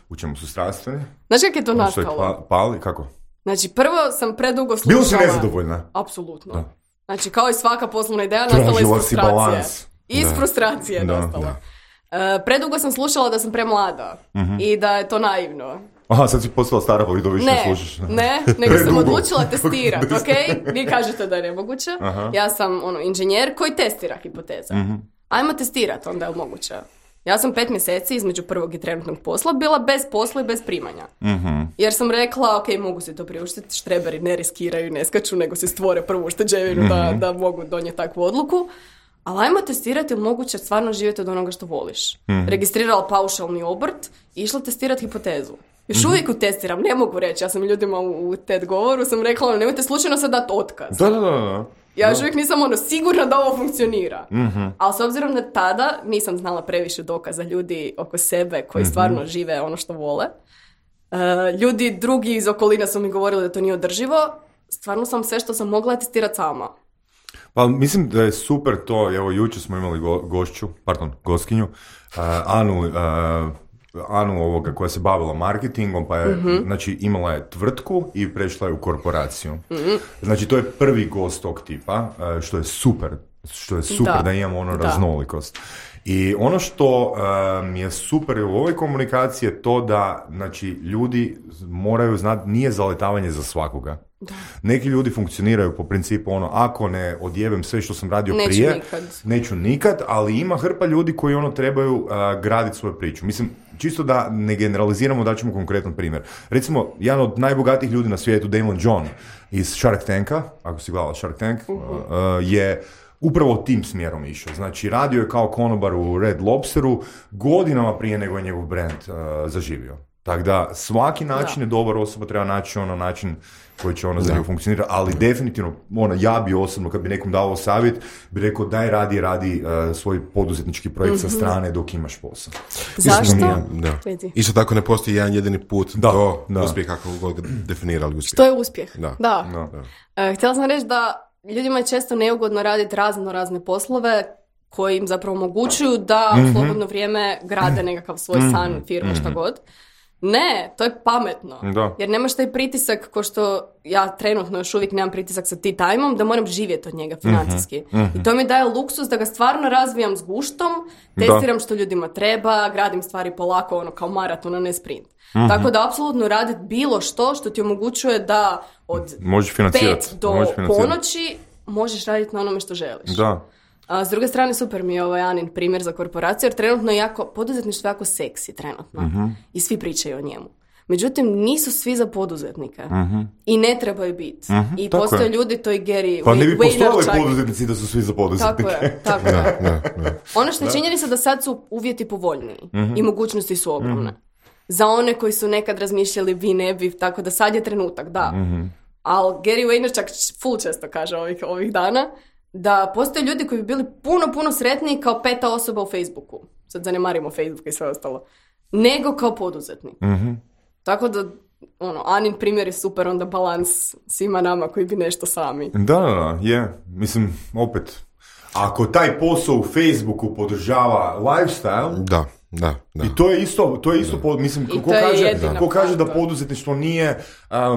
u čemu su strastveni. Znaš kako je to nastalo? Pali, kako? Znači, prvo sam predugo slušala... Bilo si nezadovoljna? Apsolutno. Da. Znači, kao i svaka poslovna ideja, nastala iz frustracije. Iz frustracije nastala. Predugo sam slušala da sam premlada i da je to naivno. Aha, sad si postala stara pa vidio više ne slušaš. Ne, nego sam odlučila testirati, ok? Vi kažete da je nemoguće. Ja sam inženjer koji testira hipoteze. Ajmo testirati, onda je moguće. Ja sam 5 mjeseci između prvog i trenutnog posla bila bez posla i bez primanja. Jer sam rekla, ok, mogu se to priuštiti, štreberi ne riskiraju, ne skaču, nego se stvore prvu ušteđevinu da mogu donijeti takvu odluku. Ali ajmo testirati ili moguće stvarno živjeti od onoga što voliš. Registrirala paušalni obrt i išla testirati hipotezu. Još uvijek testiram, ne mogu reći. Ja sam ljudima u TED govoru sam rekla, nemojte slučajno sad dati otkaz. Da. Ja još uvijek nisam sigurna da ovo funkcionira. Ali s obzirom da tada nisam znala previše dokaza ljudi oko sebe koji stvarno žive ono što vole. Ljudi drugi iz okolina su mi govorili da to nije održivo. Stvarno sam sve što sam mogla testirati sama. Pa mislim da je super to, evo jučer smo imali goskinju, Anu ovoga koja se bavila marketingom, pa je, znači imala je tvrtku i prešla je u korporaciju. Znači to je prvi gost tog tipa, što je super da imamo raznolikost. I ono što mi je super u ovoj komunikaciji je to da, znači, ljudi moraju znati, nije zaletavanje za svakoga. Da. Neki ljudi funkcioniraju po principu ako ne odjebem sve što sam radio prije, neću nikad, ali ima hrpa ljudi koji trebaju graditi svoju priču. Mislim, čisto da ne generaliziramo, da ćemo konkretan primjer. Recimo, jedan od najbogatijih ljudi na svijetu, Damon John iz Shark Tanka, ako si gledala Shark Tank, je upravo tim smjerom išao. Znači, radio je kao konobar u Red Lobsteru godinama prije nego je njegov brand zaživio. Tako da, svaki način je dobar, osoba treba naći način koji će za njegu funkcionirati, ali definitivno, ja bi osobno, kad bi nekom dao savjet, bi rekao daj radi svoj poduzetnički projekt sa strane dok imaš posao. Zašto? Isto tako ne postoji jedan jedini put do uspjeha kako god definirali uspjeh. Što je uspjeh? Da. Htjela sam reći da ljudima je često neugodno raditi razne poslove koji im zapravo omogućuju da u slobodno vrijeme grade nekakav svoj san, firmu, šta god. Ne, to je pametno. Da. Jer nemaš taj pritisak ko što ja trenutno još uvijek nemam pritisak sa tea time-om da moram živjeti od njega financijski. I to mi daje luksus da ga stvarno razvijam s guštom, testiram što ljudima treba, gradim stvari polako, kao maraton, a ne sprint. Tako da apsolutno raditi bilo što ti omogućuje da od 5 do ponoći možeš raditi na onome što želiš. Da. A s druge strane, super mi je ovaj Anin primjer za korporaciju, jer trenutno je poduzetništvo jako seksi trenutno. I svi pričaju o njemu. Međutim, nisu svi za poduzetnike. I ne trebaju biti. I postoje ljudi, to i Gary Vaynerchuk. Pa ne bi postojali poduzetnici da su svi za poduzetnike. Tako je. Ono što je činjenica da sad su uvjeti povoljniji. I mogućnosti su ogromne. Za one koji su nekad razmišljali vi ne bi, tako da sad je trenutak, da. Ali Gary Vaynerchuk full često kaže ovih dana da postoje ljudi koji bi bili puno sretniji kao 5. osoba u Facebooku. Sad zanemarimo Facebook i sve ostalo. Nego kao poduzetnik. Tako da, Anin primjer je super, onda balans svima nama koji bi nešto sami. Da, je. Mislim, opet, ako taj posao u Facebooku podržava lifestyle, Da. I to je isto mislim, ko kaže da poduzetništvo nije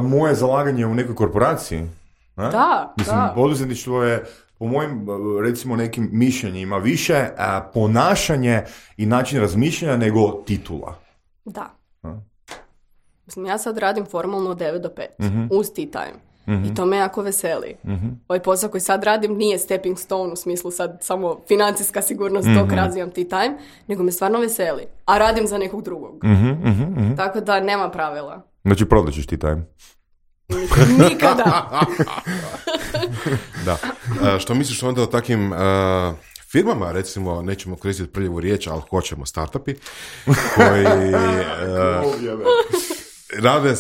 moje zalaganje u nekoj korporaciji. Mislim, poduzetništvo je po mojim, recimo, nekim mišljenjima više ponašanje i način razmišljanja nego titula. Da. Mislim, ja sad radim formalno od 9 do 5, uz tea time. I to me jako veseli. Ovaj posao koji sad radim nije stepping stone u smislu sad samo financijska sigurnost dok razvijam tea time, nego me stvarno veseli. A radim za nekog drugog. Tako da nema pravila. Znači, prodat ćeš tea time? Nikada. Da. Što misliš onda o takvim firmama, recimo, nećemo koristiti prljavu riječ, ali hoćemo startupi, koji rade,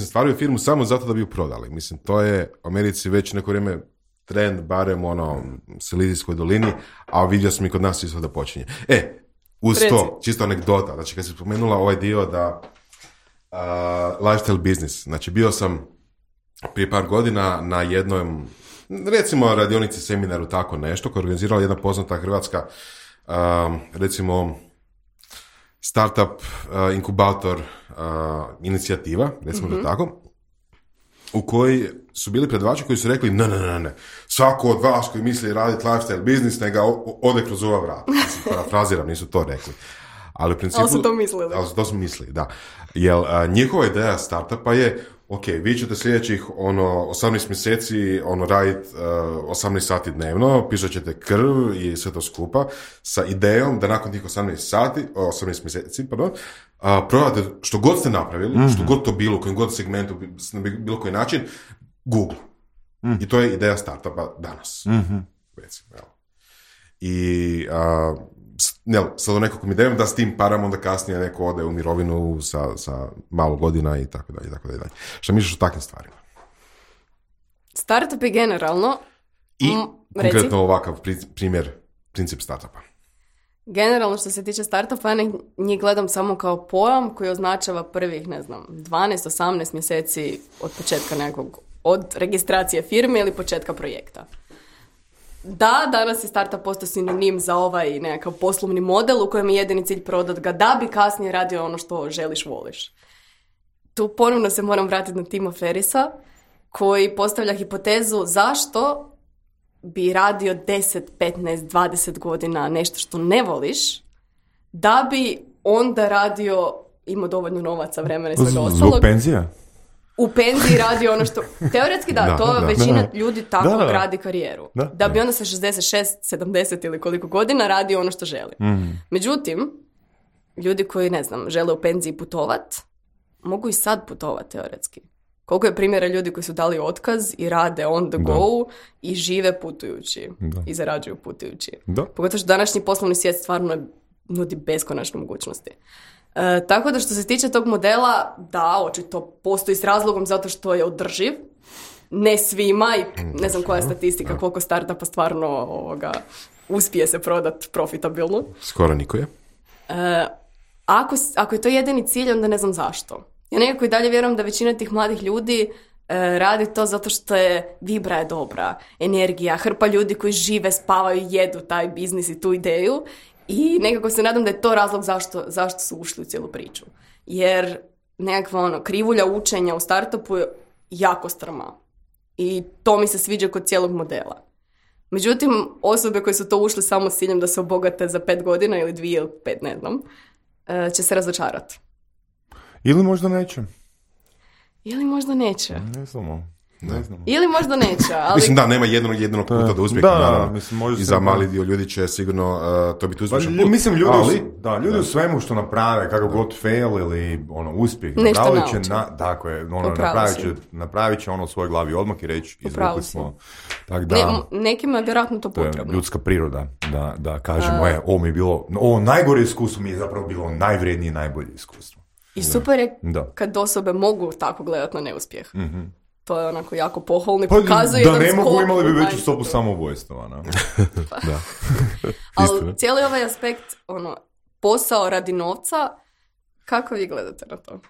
stvaraju firmu samo zato da bi ju prodali. Mislim, to je u Americi već neko vrijeme trend, barem Silizijskoj dolini, a vidio sam i kod nas isto da počinje. Uz to, čisto anegdota, znači kad si spomenula ovaj dio da lifestyle business, znači bio sam prije par godina na jednom, recimo, radionici, seminaru, tako nešto, koja je organizirala jedna poznata hrvatska, recimo, startup, inkubator, inicijativa, recimo da tako, u kojoj su bili predavači koji su rekli ne, svako od vas koji misli raditi lifestyle business, neka ode kroz ova vrata. Parafraziram, nisu to rekli. Ali u principu... Ali su to mislili. Ali su to mislili, da. Jer njihova ideja startupa je, ok, vi ćete sljedećih 18 mjeseci raditi 18 sati dnevno, pisat ćete krv i sve to skupa, sa idejom da nakon tih 18 mjeseci, prodate što god ste napravili, što god to bilo, u kojem god segmentu, na bilo koji način, Google. I to je ideja startupa danas. Recimo, evo. I sad u nekakvom idejom da s tim parama onda kasnije neko ode u mirovinu sa malo godina i tako dalje, tako dalje. Šta misliš o takvim stvarima? Startup je generalno... I konkretno ovakav princip startupa. Generalno što se tiče startupa, ja njih gledam samo kao pojam koji označava prvih, 12-18 mjeseci od početka nekog, od registracije firme ili početka projekta. Da, danas je startup postao sinonim za ovaj nekakav poslovni model u kojem je jedini cilj prodat ga da bi kasnije radio ono što želiš, voliš. Tu ponovno se moram vratiti na Tima Ferrisa koji postavlja hipotezu zašto bi radio 10, 15, 20 godina nešto što ne voliš da bi onda radio, imao dovoljno novaca, vremena i svega ostalog. Zbog penzija? U penziji radi ono što... Teoretski većina ljudi tako gradi karijeru. Da bi onda sa 66, 70 ili koliko godina radi ono što želi. Međutim, ljudi koji, žele u penziji putovat, mogu i sad putovat teoretski. Koliko je primjera ljudi koji su dali otkaz i rade on the go i žive putujući. I zarađuju putujući. Pogotovo što današnji poslovni svijet stvarno nudi beskonačne mogućnosti. Tako da što se tiče tog modela, da, očito postoji s razlogom zato što je održiv. Ne svima i ne znam koja je statistika, koliko startupa stvarno uspije se prodat profitabilno. Skoro niko je. Ako je to jedini cilj, onda ne znam zašto. Ja nekako i dalje vjerujem da većina tih mladih ljudi radi to zato što je vibra je dobra, energija, hrpa ljudi koji žive, spavaju, jedu taj biznis i tu ideju. I nekako se nadam da je to razlog zašto su ušli u cijelu priču. Jer nekakva krivulja učenja u startupu je jako strma. I to mi se sviđa kod cijelog modela. Međutim, osobe koje su to ušli samo s ciljem da se obogate za 5 godina ili 2 ili 5, ne znam, će se razočarati. Ili možda neće. Ne znamo. Ili možda neće, ali... Mislim da, nema jednog puta da uspjeha, naravno. I za mali dio ljudi će sigurno to biti uspješan put. Mislim, ljudi u svemu što naprave, kako god fail ili uspjeh, napravit će u svojoj glavi odmah i reći, izvukli smo. Tak da, nekima je vjerojatno to potrebno. Ljudska priroda, da kažemo, ovo mi je bilo, ovo najgore iskustvo mi je zapravo bilo najvrijednije i najbolje iskustvo. I super je kad osobe mogu tako gledati na neuspjeh. To je onako jako pohvalno i pokazuje da ne mogu, imali bi veću stopu samoubojstva. Da. Ali cijeli ovaj aspekt, posao radi novca, kako vi gledate na to?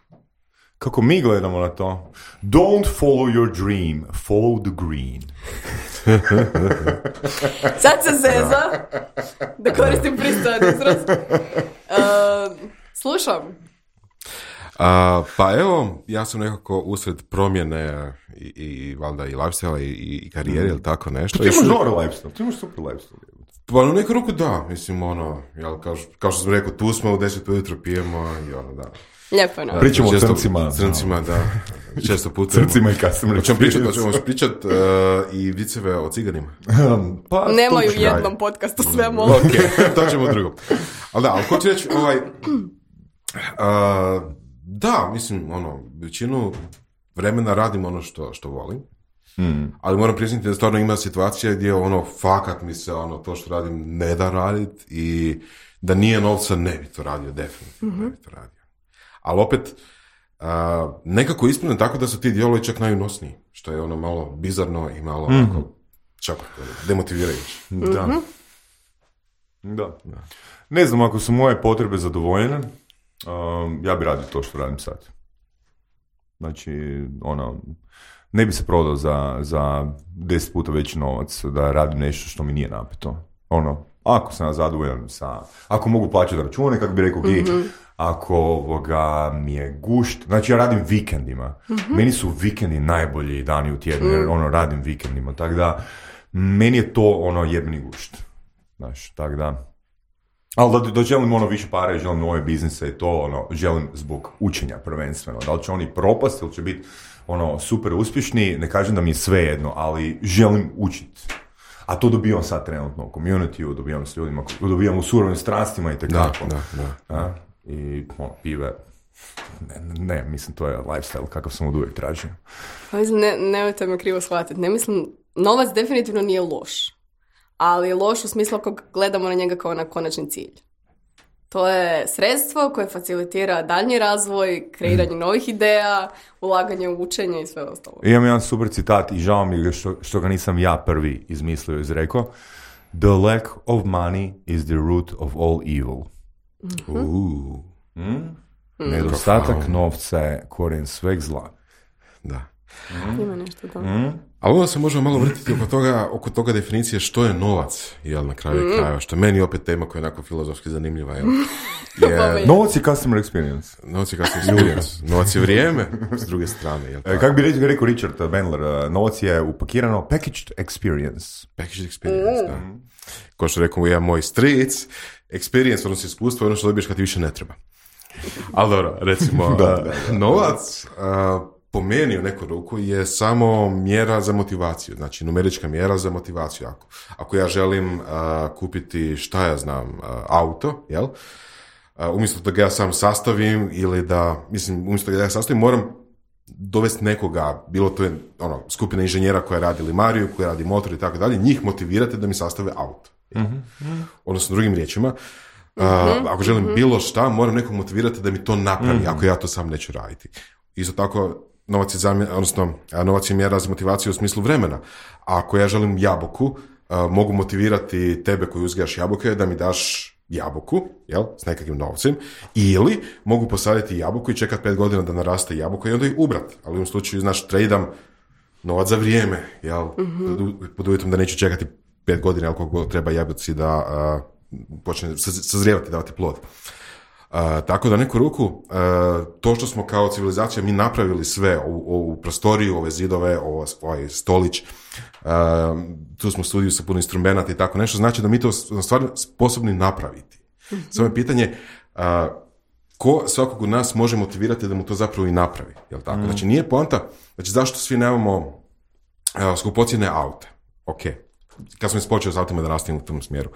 Kako mi gledamo na to? Don't follow your dream, follow the green. Sad se zeza da koristim pristojan izraz. Slušam. Pa evo, ja sam nekako usred promjene i valjda i lifestyle i karijere ili tako nešto. Ti imaš dobar lifestyle, ti imaš super lifestyle. Pa u neku ruku da, mislim jel, kao što sam rekao, tu smo u 10 ujutro pijemo i da. Lijepo je, no. Pričamo o crncima. Crncima, da. Često putujemo. Crncima i customer experience. Hoćemo pričat i viceve o ciganima. Pa, nemaju u jednom podcastu sve mogu. Ok, to ćemo u drugom. Ali hoću reći, da, mislim, većinu vremena radim ono što volim. Ali moram priznati da stvarno ima situacija gdje fakat mi se to što radim ne da radit i da nije novca ne bi to radio, definitivno ne bi to radio. Ali opet, nekako ispravno tako da su ti dijelovi čak najunosniji, što je malo bizarno i malo čak demotivirajuće. Da. Ne znam, ako su moje potrebe zadovoljene, ja bi radio to što radim sad. Znači, ne bi se prodao za 10 puta veći novac da radim nešto što mi nije napeto. Ako sam zadovoljan ako mogu plaćati račune, kako bi rekao ako mi je gušt, znači ja radim vikendima. Meni su vikendi najbolji dani u tjednu, jer radim vikendima, tako da meni je to jebeni gušt. Znaš, tako da. Ali da želim više para i želim nove biznise i to želim zbog učenja prvenstveno. Da li će oni propasti ili će biti super uspješni, ne kažem da mi je sve jedno, ali želim učiti. A to dobijam sad trenutno u community-u, dobijam s ljudima, dobijam u surovim strastima i tekako. Da. I pive. Ne, mislim, to je lifestyle kakav sam od uvijek tražio. Pa mislim, nemojte me krivo shvatiti. Ne mislim, novac definitivno nije loš. Ali je loš u smislu ako gledamo na njega kao na konačni cilj. To je sredstvo koje facilitira daljnji razvoj, kreiranje novih ideja, ulaganje u učenje i sve ostalo. Imam jedan super citat i žao mi je što ga nisam ja prvi izmislio, izrekao. The lack of money is the root of all evil. Nedostatak novca je korijen sveg zla. Da. Ima nešto to. Ali onda se možemo malo vrtiti oko toga definicije što je novac, jel, na kraju krajeva, što je meni opet tema koja je onako filozofski zanimljiva, jel. Novac je customer experience. Novac je vrijeme, s druge strane, jel. Kako bi rekao Richard Bandler, novac je upakirano packaged experience. Packaged experience, da. Ko što rekao jedan moj stric, experience, odnosno iskustvo, ono što dobiješ kad ti više ne treba. Ali dobro, recimo, novac, po meni u neku ruku je samo mjera za motivaciju, znači numerička mjera za motivaciju. Ako ja želim kupiti, auto, jel? Umjesto da ga ja sam sastavim ili umjesto da ga ja sastavim, moram dovesti nekoga, bilo to je skupina inženjera koja radi limariju, koja radi motor i tako dalje, njih motivirate da mi sastave auto. Odnosno, drugim riječima, ako želim bilo šta, moram nekog motivirati da mi to napravi, ako ja to sam neću raditi. Isto tako, novac je mjera za motivaciju u smislu vremena. A ako ja želim jabuku, mogu motivirati tebe koji uzgajaš jabuke da mi daš jabuku, jel, s nekakvim novcem, ili mogu posaditi jabuku i čekati 5 godina da naraste jabuka i onda ih ubrat. Ali u ovom slučaju, tradam novac za vrijeme, jel, pod uvjetom da neću čekati 5 godina, jel, koliko treba jabuci da počne sazrijevati, davati plod. Tako da neku ruku, to što smo kao civilizacija mi napravili sve, ovu prostoriju, ove zidove, ovaj stolić, tu smo u studiju sa puno instrumenata i tako nešto, znači da mi to stvarno sposobni napraviti. Samo je pitanje ko svakog od nas može motivirati da mu to zapravo i napravi, jel tako? Znači nije poanta, znači zašto svi nemamo skupocjene aute? Ok, kad sam počeo s autima da nastavim u tom smjeru.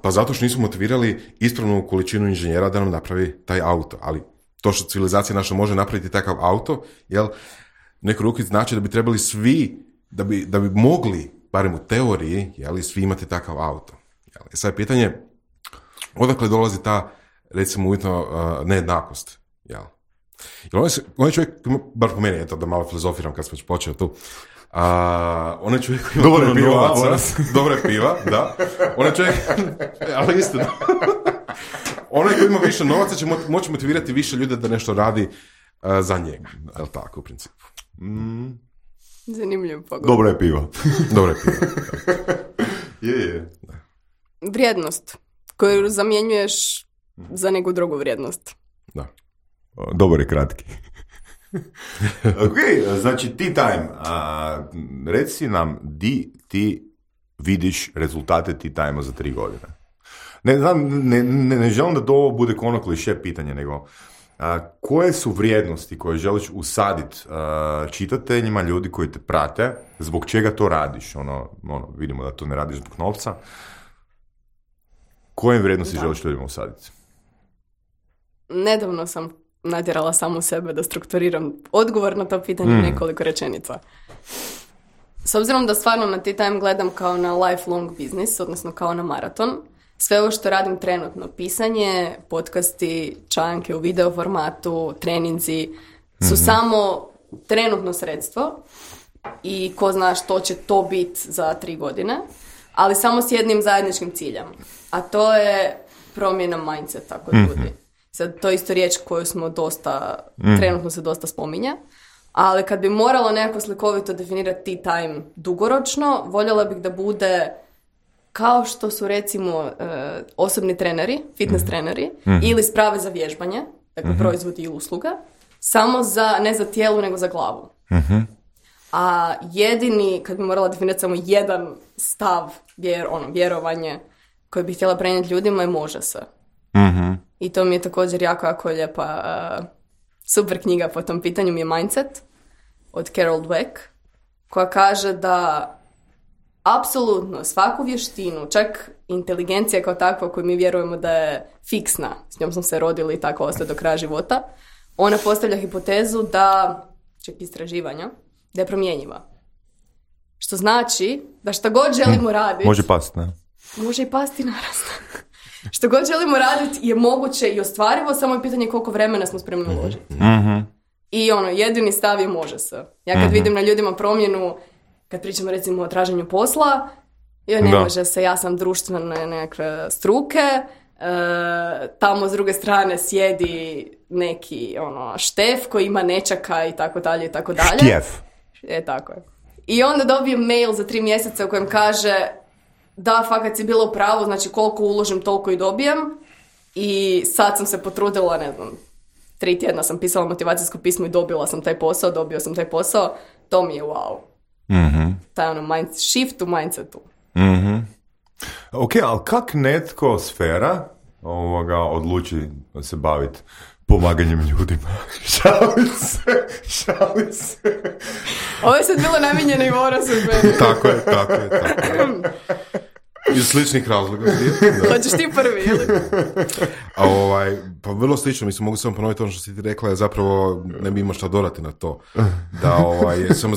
Pa zato što nismo motivirali ispravnu količinu inženjera da nam napravi taj auto, ali to što civilizacija naša može napraviti takav auto, jel, neku ruku znači da bi trebali svi, da bi mogli, barem u teoriji, jel, svi imati takav auto. Jel. Sad je pitanje, odakle dolazi ta, recimo, uvjetno nejednakost, jel? Jer on je čovjek, bar po meni, eto, da malo filozofiram kad sam već počeo tu, onaj čovjek ima puno novaca, dobra je piva, da, onaj čovjek, ali istina, onaj koji ima više novaca će moći motivirati više ljude da nešto radi za njega, je li tako u principu? Zanimljiv pogled. Dobro je pivo. Dobro je pivo. Je. Vrijednost koju zamjenjuješ za neku drugu vrijednost. Da. Dobar je kratki. Ok, znači tea time. Reci nam di ti vidiš rezultate tea time-a za 3 godine. Ne želim da to ovo bude ono kliše pitanje, nego koje su vrijednosti koje želiš usaditi čitateljima, ljudi koji te prate, zbog čega to radiš? Vidimo da to ne radiš zbog novca. Koje vrijednosti želiš ljudima usaditi? Nedavno sam natjerala samu sebe da strukturiram odgovor na to pitanje nekoliko rečenica. S obzirom da stvarno na Tea Time gledam kao na lifelong business, odnosno kao na maraton, sve ovo što radim trenutno, pisanje, podcasti, članke u video formatu, treninzi, su samo trenutno sredstvo i ko zna što će to biti za 3 godine, ali samo s jednim zajedničkim ciljem, a to je promjena mindseta kod ljudi. Sad, to je isto riječ koju smo trenutno se dosta spominje, ali kad bi morala nekako slikovito definirati Tea Time dugoročno, voljela bih da bude kao što su recimo osobni treneri, fitness treneri, ili sprave za vježbanje, dakle proizvodi i usluga, samo ne za tijelo, nego za glavu. A jedini, kad bi morala definirati samo jedan stav, vjerovanje koje bih htjela prenijeti ljudima, je može se. I to mi je također jako lijepa, super knjiga po tom pitanju mi je Mindset od Carol Dweck, koja kaže da apsolutno svaku vještinu, čak inteligencija kao takva koju mi vjerujemo da je fiksna, s njom smo se rodili i tako ostaje do kraja života, ona postavlja hipotezu da, čak istraživanja, da je promjenjiva. Što znači da šta god želimo raditi... Može pasti, ne? Može i pasti, naravno. Što god želimo raditi je moguće i ostvarivo, samo je pitanje koliko vremena smo spremni uložiti. I jedini stav je može se. Ja kad vidim na ljudima promjenu, kad pričamo recimo o traženju posla, ne može se, ja sam društvene nekakve struke, tamo s druge strane sjedi neki štef koji ima nečaka i tako dalje i tako dalje. Štjef. Tako je. I onda dobijem mail za 3 mjeseca u kojem kaže da, fakat si bila u pravu, znači koliko uložim, toliko i dobijem. I sad sam se potrudila, 3 tjedna sam pisala motivacijsko pismo i dobio sam taj posao, to mi je wow. Taj shift u mindsetu. Ok, ali kak netko sfera odluči se baviti pomaganjem ljudima? Šalim se. Ovo je sad bilo namijenjeno i Vorasu. Tako je. Iz sličnih razloga. Hoćeš ti prvi, ili? Pa vrlo slično, mislim, mogu samo ponoviti ono što si ti rekla, je zapravo ne bi imao šta dodati na to. Da, sam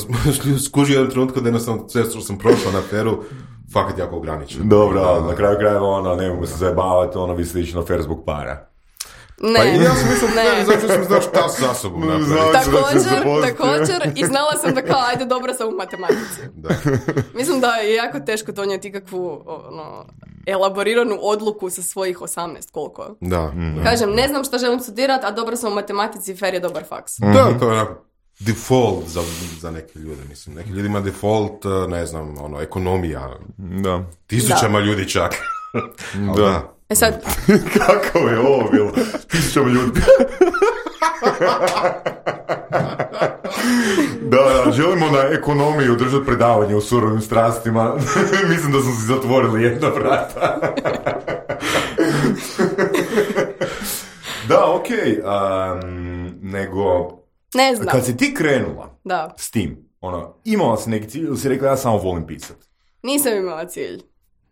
skužio jedan trenutku da jednostavno sve što sam prošao na feru, fakat jako ograničeno. Dobro, na kraju krajeva ne mogu se zajebavati, vi slično fer zbog para. Ne, ja sam mislio, zato sam znao šta sa sobom napraviti. Također, i znala sam da kao, ajde, dobra sam u matematici. Da. Mislim da je jako teško donijeti ikakvu elaboriranu odluku sa svojih 18, koliko. Da. Kažem, ne znam šta želim studirati, a dobra sam u matematici, fer je dobar faks. Da, to je onako default za neke ljude, mislim. Neki ljudi ima default, ne znam, ekonomija. Da. Tisućama ljudi čak. Da. Sad... Kako je ovo bilo? 1000 ljudi. Da, želimo na ekonomiju držati predavanje o surovim strastima. Mislim da smo si zatvorili jedna vrata. Da, okej. Nego... Ne znam. Kad si ti krenula s tim, imala si neki cilj ili si rekla ja samo volim pisati? Nisam imala cilj.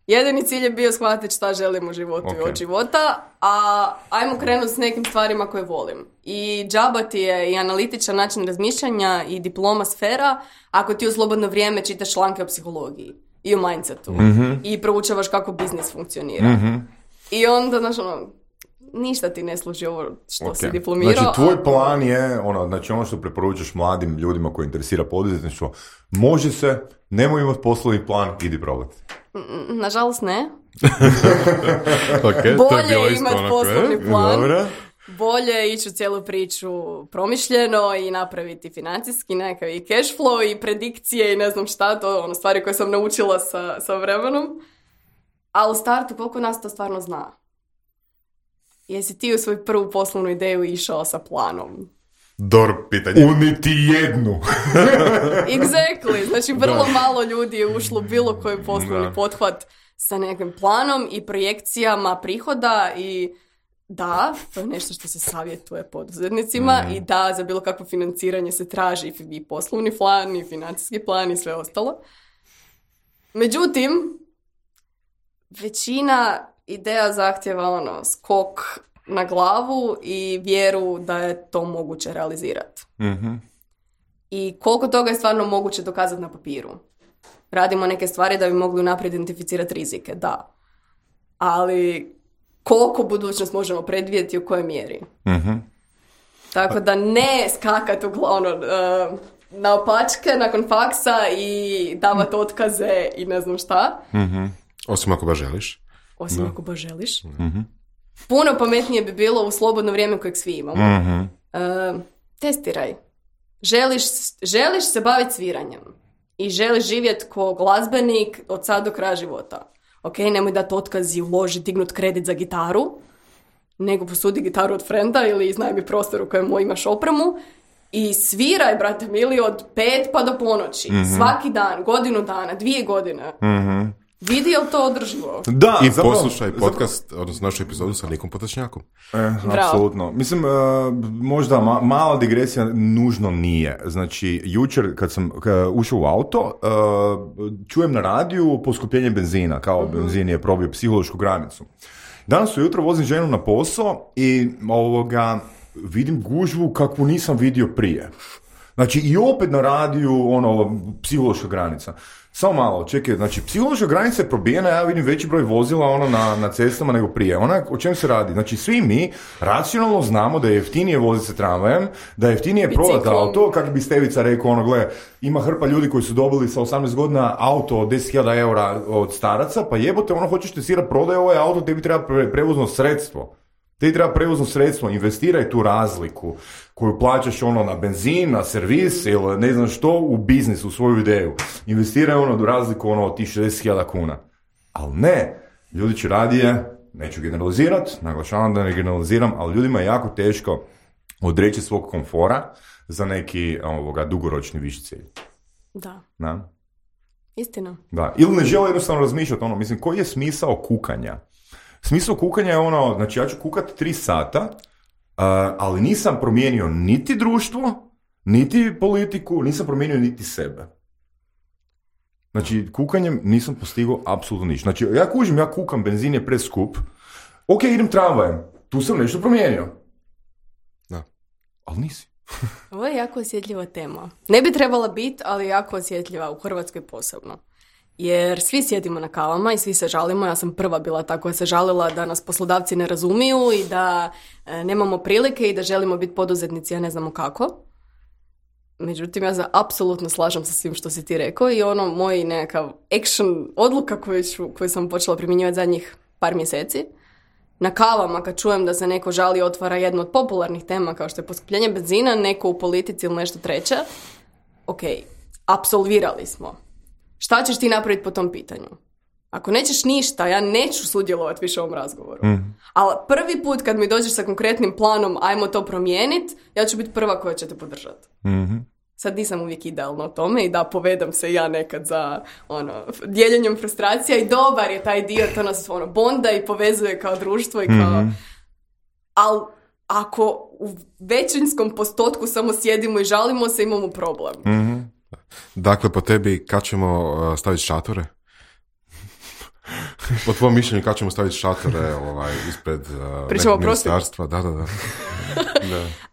Jedini cilj je bio shvatiti šta želim u životu i od života, a ajmo krenuti s nekim stvarima koje volim. I džaba ti je i analitičan način razmišljanja i diploma sfera ako ti u slobodno vrijeme čitaš članke o psihologiji i o mindsetu i proučavaš kako biznis funkcionira. I onda, ništa ti ne služi ovo što si diplomirao. Znači, tvoj plan je, ono što preporučaš mladim ljudima koji interesira poduzetništvo, može se, nemoj imati poslovni plan, idi probati. Nažalost ne. Okay, bolje je imati poslovni plan. Dobre. bolje ići u cijelu priču promišljeno i napraviti financijski nekakav i cash flow i predikcije i ne znam šta, to ono stvari koje sam naučila sa vremenom. Ali u startu koliko nas to stvarno zna? Jesi ti u svoju prvu poslovnu ideju išao sa planom? Dobro pitanje. U niti jednu. Exactly. Znači, vrlo malo ljudi je ušlo bilo koji poslovni pothvat sa nekim planom i projekcijama prihoda i da, to je nešto što se savjetuje poduzetnicima i da, za bilo kakvo financiranje se traži i poslovni plan i financijski plan i sve ostalo. Međutim, većina ideja zahtjeva skok na glavu i vjeru da je to moguće realizirati. Mm-hmm. I koliko toga je stvarno moguće dokazati na papiru. Radimo neke stvari da bi mogli unaprijed identificirati rizike, da. Ali koliko budućnost možemo predvidjeti i u kojoj mjeri. Mm-hmm. Tako da ne skakati na opačke nakon faksa i davati otkaze i ne znam šta. Mm-hmm. Osim ako baš želiš. Ako baš želiš. Mm-hmm. Puno pametnije bi bilo u slobodno vrijeme kojeg svi imamo. Mm-hmm. Testiraj. Želiš se baviti sviranjem i želiš živjeti ko glazbenik od sad do kraja života. Ok, nemoj dati otkaz i uloži, dignut kredit za gitaru, nego posudi gitaru od frenda ili iznajmi prostor u kojem imaš opremu i sviraj, brate mili, od 5 pa do ponoći. Mm-hmm. Svaki dan, godinu dana, 2 godine. Mm-hmm. Vidi je li to održivo? Da, i poslušaj podcast, odnosno našu epizodu sa Nikom Potočnjakom. Apsolutno. Mislim, možda mala digresija nužno nije. Znači, jučer kad sam ušao u auto, čujem na radiju poskupljenje benzina, kao benzin je probio psihološku granicu. Danas ujutro vozim ženu na posao i vidim gužvu kakvu nisam vidio prije. Znači, i opet na radiju, psihološka granica. Samo malo, čekaj, znači, psihološka granica je probijena, ja vidim veći broj vozila na cestama nego prije. O čem se radi? Znači, svi mi racionalno znamo da je jeftinije voziti se tramvajem, da je jeftinije prodati auto, kako bi Stevica rekao, gle, ima hrpa ljudi koji su dobili sa 18 godina auto od 10.000 eura od staraca, pa jebote, hoćeš testirati, prodaj ovaj auto, tebi treba prevozno sredstvo. Te treba prevozno sredstvo, investiraj tu razliku koju plaćaš na benzin, na servis ili ne znam što u biznis, u svoju ideju. Investiraj razliku od tih 60.000 kuna. Ali ne, ljudi će radije, neću generalizirati, naglašavam da ne generaliziram, ali ljudima je jako teško odreći svog komfora za neki dugoročni viši cilj. Da. Na? Istina. Da. Ili ne žele jednostavno razmišljati mislim, koji je smisao kukanja? Smisao kukanja je znači ja ću kukati 3 sata, ali nisam promijenio niti društvo, niti politiku, nisam promijenio niti sebe. Znači, kukanjem nisam postigao apsolutno ništa. Znači, ja kukam, benzin je preskup, ok, idem tramvajem, tu sam nešto promijenio. Da. Ali nisi. Ovo je jako osjetljiva tema. Ne bi trebala biti, ali jako osjetljiva, u Hrvatskoj posebno. Jer svi sjedimo na kavama i svi se žalimo. Ja sam prva bila ta koja se žalila da nas poslodavci ne razumiju i da nemamo prilike i da želimo biti poduzetnici, ja ne znamo kako. Međutim, ja se apsolutno slažem sa svim što si ti rekao i moj nekakav action odluka koju sam počela primjenjivati zadnjih par mjeseci. Na kavama kad čujem da se neko žali otvara jednu od popularnih tema kao što je poskupljenje benzina, neko u politici ili nešto treće. Ok, apsolvirali smo. Šta ćeš ti napraviti po tom pitanju? Ako nećeš ništa, ja neću sudjelovati više u ovom razgovoru. Ali prvi put kad mi dođeš sa konkretnim planom, ajmo to promijeniti, ja ću biti prva koja će te podržati. Mm-hmm. Sad nisam uvijek idealna o tome i da, povedam se ja nekad za dijeljenjem frustracija i dobar je taj dio, to nas bonda i povezuje kao društvo i kao... Ali ako u većinskom postotku samo sjedimo i žalimo se, imamo problem. Mm-hmm. Dakle, po tebi, kad ćemo staviti šatore? Po tvojom mišljenju, kad ćemo staviti šatore ispred nekog ministarstva? Da. Da.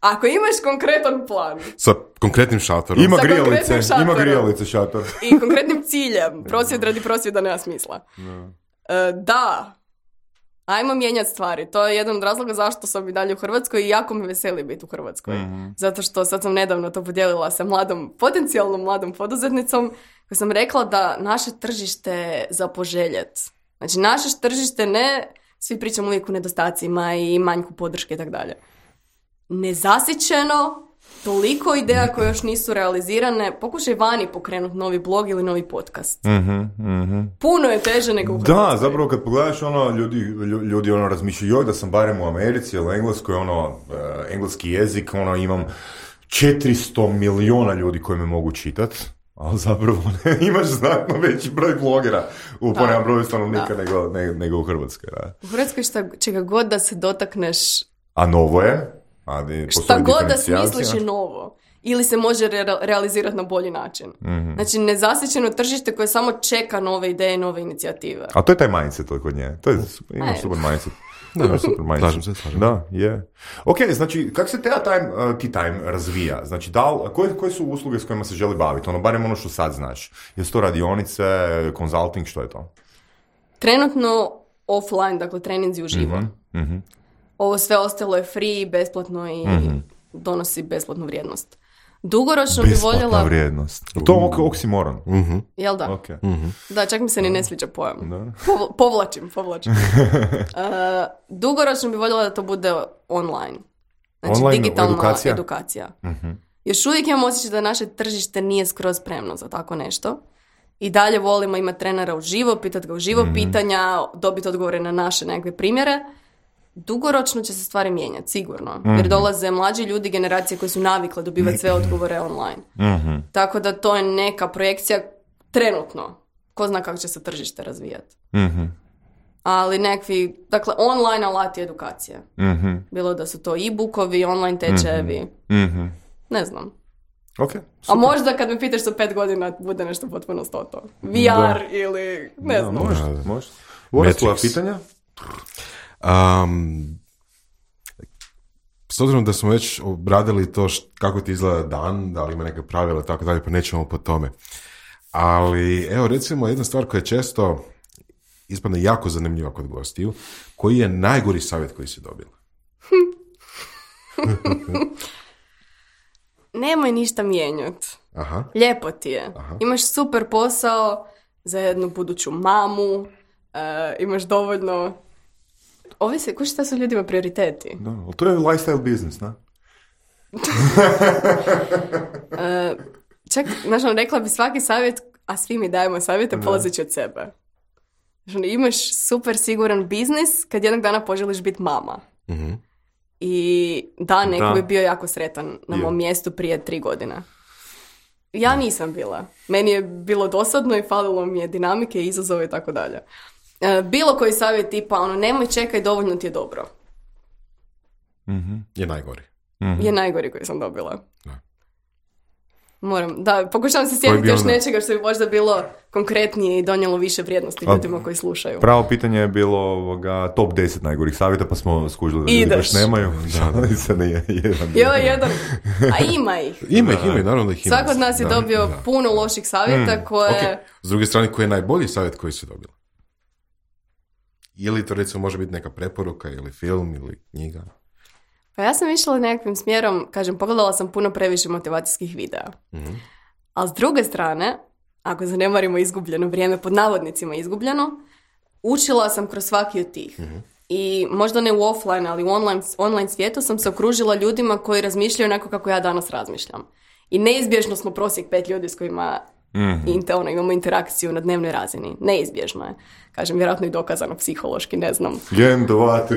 Ako imaš konkretan plan. Sa konkretnim šatorom. Ima grijalice šator. I konkretnim ciljem. Prosvjed radi prosvjeda nema smisla. Da. Ajmo mijenjati stvari. To je jedan od razloga zašto sam i dalje u Hrvatskoj i jako me veseli biti u Hrvatskoj. Mm-hmm. Zato što sad sam nedavno to podijelila sa potencijalnom mladom poduzetnicom koja sam rekla da naše tržište za poželjet. Znači naše tržište ne, svi pričamo uvijek o nedostacima i manjku podrške i tako dalje. nezasićeno, toliko ideja koje još nisu realizirane. Pokušaj vani pokrenuti novi blog ili novi podcast. Puno je teže nego u Hrvatskoj. Da, zapravo kad pogledaš ljudi razmišljaju, da sam barem u Americi ili Engleskoj, engleski jezik, imam 400 miliona ljudi koji me mogu čitat, ali zapravo imaš znatno veći broj blogera u ponem broju stanovnika nego u Hrvatskoj. Da. U Hrvatskoj čega god da se dotakneš... A novo je? Šta god da smisliš je novo. Ili se može realizirati na bolji način. Mm-hmm. Znači, nezasićeno tržište koje samo čeka nove ideje, nove inicijative. A to je taj mindset kod nje. To je super mindset. Da, super mindset. Slažem. Da, je. Ok, znači, kako se time razvija? Znači, koje su usluge s kojima se želi baviti? Barem što sad znaš. Jesu to radionice, consulting, što je to? Trenutno offline, dakle treninzi uživo. Mm-hmm. Ovo sve ostalo je free, besplatno i donosi besplatnu vrijednost. Dugoročno bi voljela... Besplatna vrijednost. To je oksimoron. Mm-hmm. Jel da? Okay. Mm-hmm. Da, čak mi se ni ne sviđa pojam. Povlačim. Dugoročno bi voljela da to bude online. Znači, online digitalna edukacija. Mm-hmm. Još uvijek imam osjećaj da naše tržište nije skroz spremno za tako nešto. I dalje volimo imati trenera uživo, pitati ga uživo pitanja, dobiti odgovore na naše nekakve primjere. Dugoročno će se stvari mijenjati, sigurno. Jer dolaze mlađi ljudi, generacije koje su navikle dobivati sve odgovore online. Mm-hmm. Tako da to je neka projekcija trenutno. Ko zna kako će se tržište razvijati. Mm-hmm. Ali nekakvi, dakle, online alati edukacije. Mm-hmm. Bilo da su to e-bookovi, online tečajevi. Mm-hmm. Ne znam. Okay, a možda kad me pitaš za 5 godina bude nešto potpuno to. VR ili ne znam. Može. Vore svoja pitanja? S obzirom da smo već obradili to kako ti izgleda dan, da li ima neke pravila i tako dalje, pa nećemo po tome. Ali, evo, recimo, jedna stvar koja je često ispadne jako zanimljiva kod gostiju, koji je najgori savjet koji si dobila? Nemoj ništa mijenjati. Aha. Lijepo ti je. Aha. Imaš super posao za jednu buduću mamu, imaš dovoljno... Ovisi, ko šta su ljudima prioriteti? Da, ali to je lifestyle business, ne? Čak, znači, rekla bi svaki savjet, a svi mi dajemo savjete, polazeći od sebe. Znači, imaš super siguran biznis kad jednog dana poželiš biti mama. Mm-hmm. I neko bi bio jako sretan na mom mjestu prije 3 godine. Ja nisam bila. Meni je bilo dosadno i falilo mi je dinamike, izazove i tako dalje. Bilo koji savjet tipa, nemoj čekaj, dovoljno ti je dobro. Mm-hmm. Je najgori. Mm-hmm. Je najgori koji sam dobila. Pokušavam se sjetiti još nečega što bi možda bilo konkretnije i donijelo više vrijednosti ljudima koji slušaju. Pravo pitanje je bilo top 10 najgorih savjeta, pa smo skužili da ljudi baš nemaju. Jedan. A ima ih. Ima ih, naravno da ih ima. Svako od nas je dobio puno loših savjeta koje... Okay. S druge strane, koji je najbolji savjet koji si dobila? Ili to recimo može biti neka preporuka ili film ili knjiga? Pa ja sam išla nekakvim smjerom, pogledala sam puno previše motivacijskih videa. Mm-hmm. Ali s druge strane, ako zanemarimo izgubljeno vrijeme, pod navodnicima izgubljeno, učila sam kroz svaki od tih. Mm-hmm. I možda ne u offline, ali u online svijetu sam se okružila ljudima koji razmišljaju onako kako ja danas razmišljam. I neizbježno smo prosjek 5 ljudi s kojima imamo interakciju na dnevnoj razini. Neizbježno je. Vjerojatno i dokazano psihološki, ne znam. 1, 2,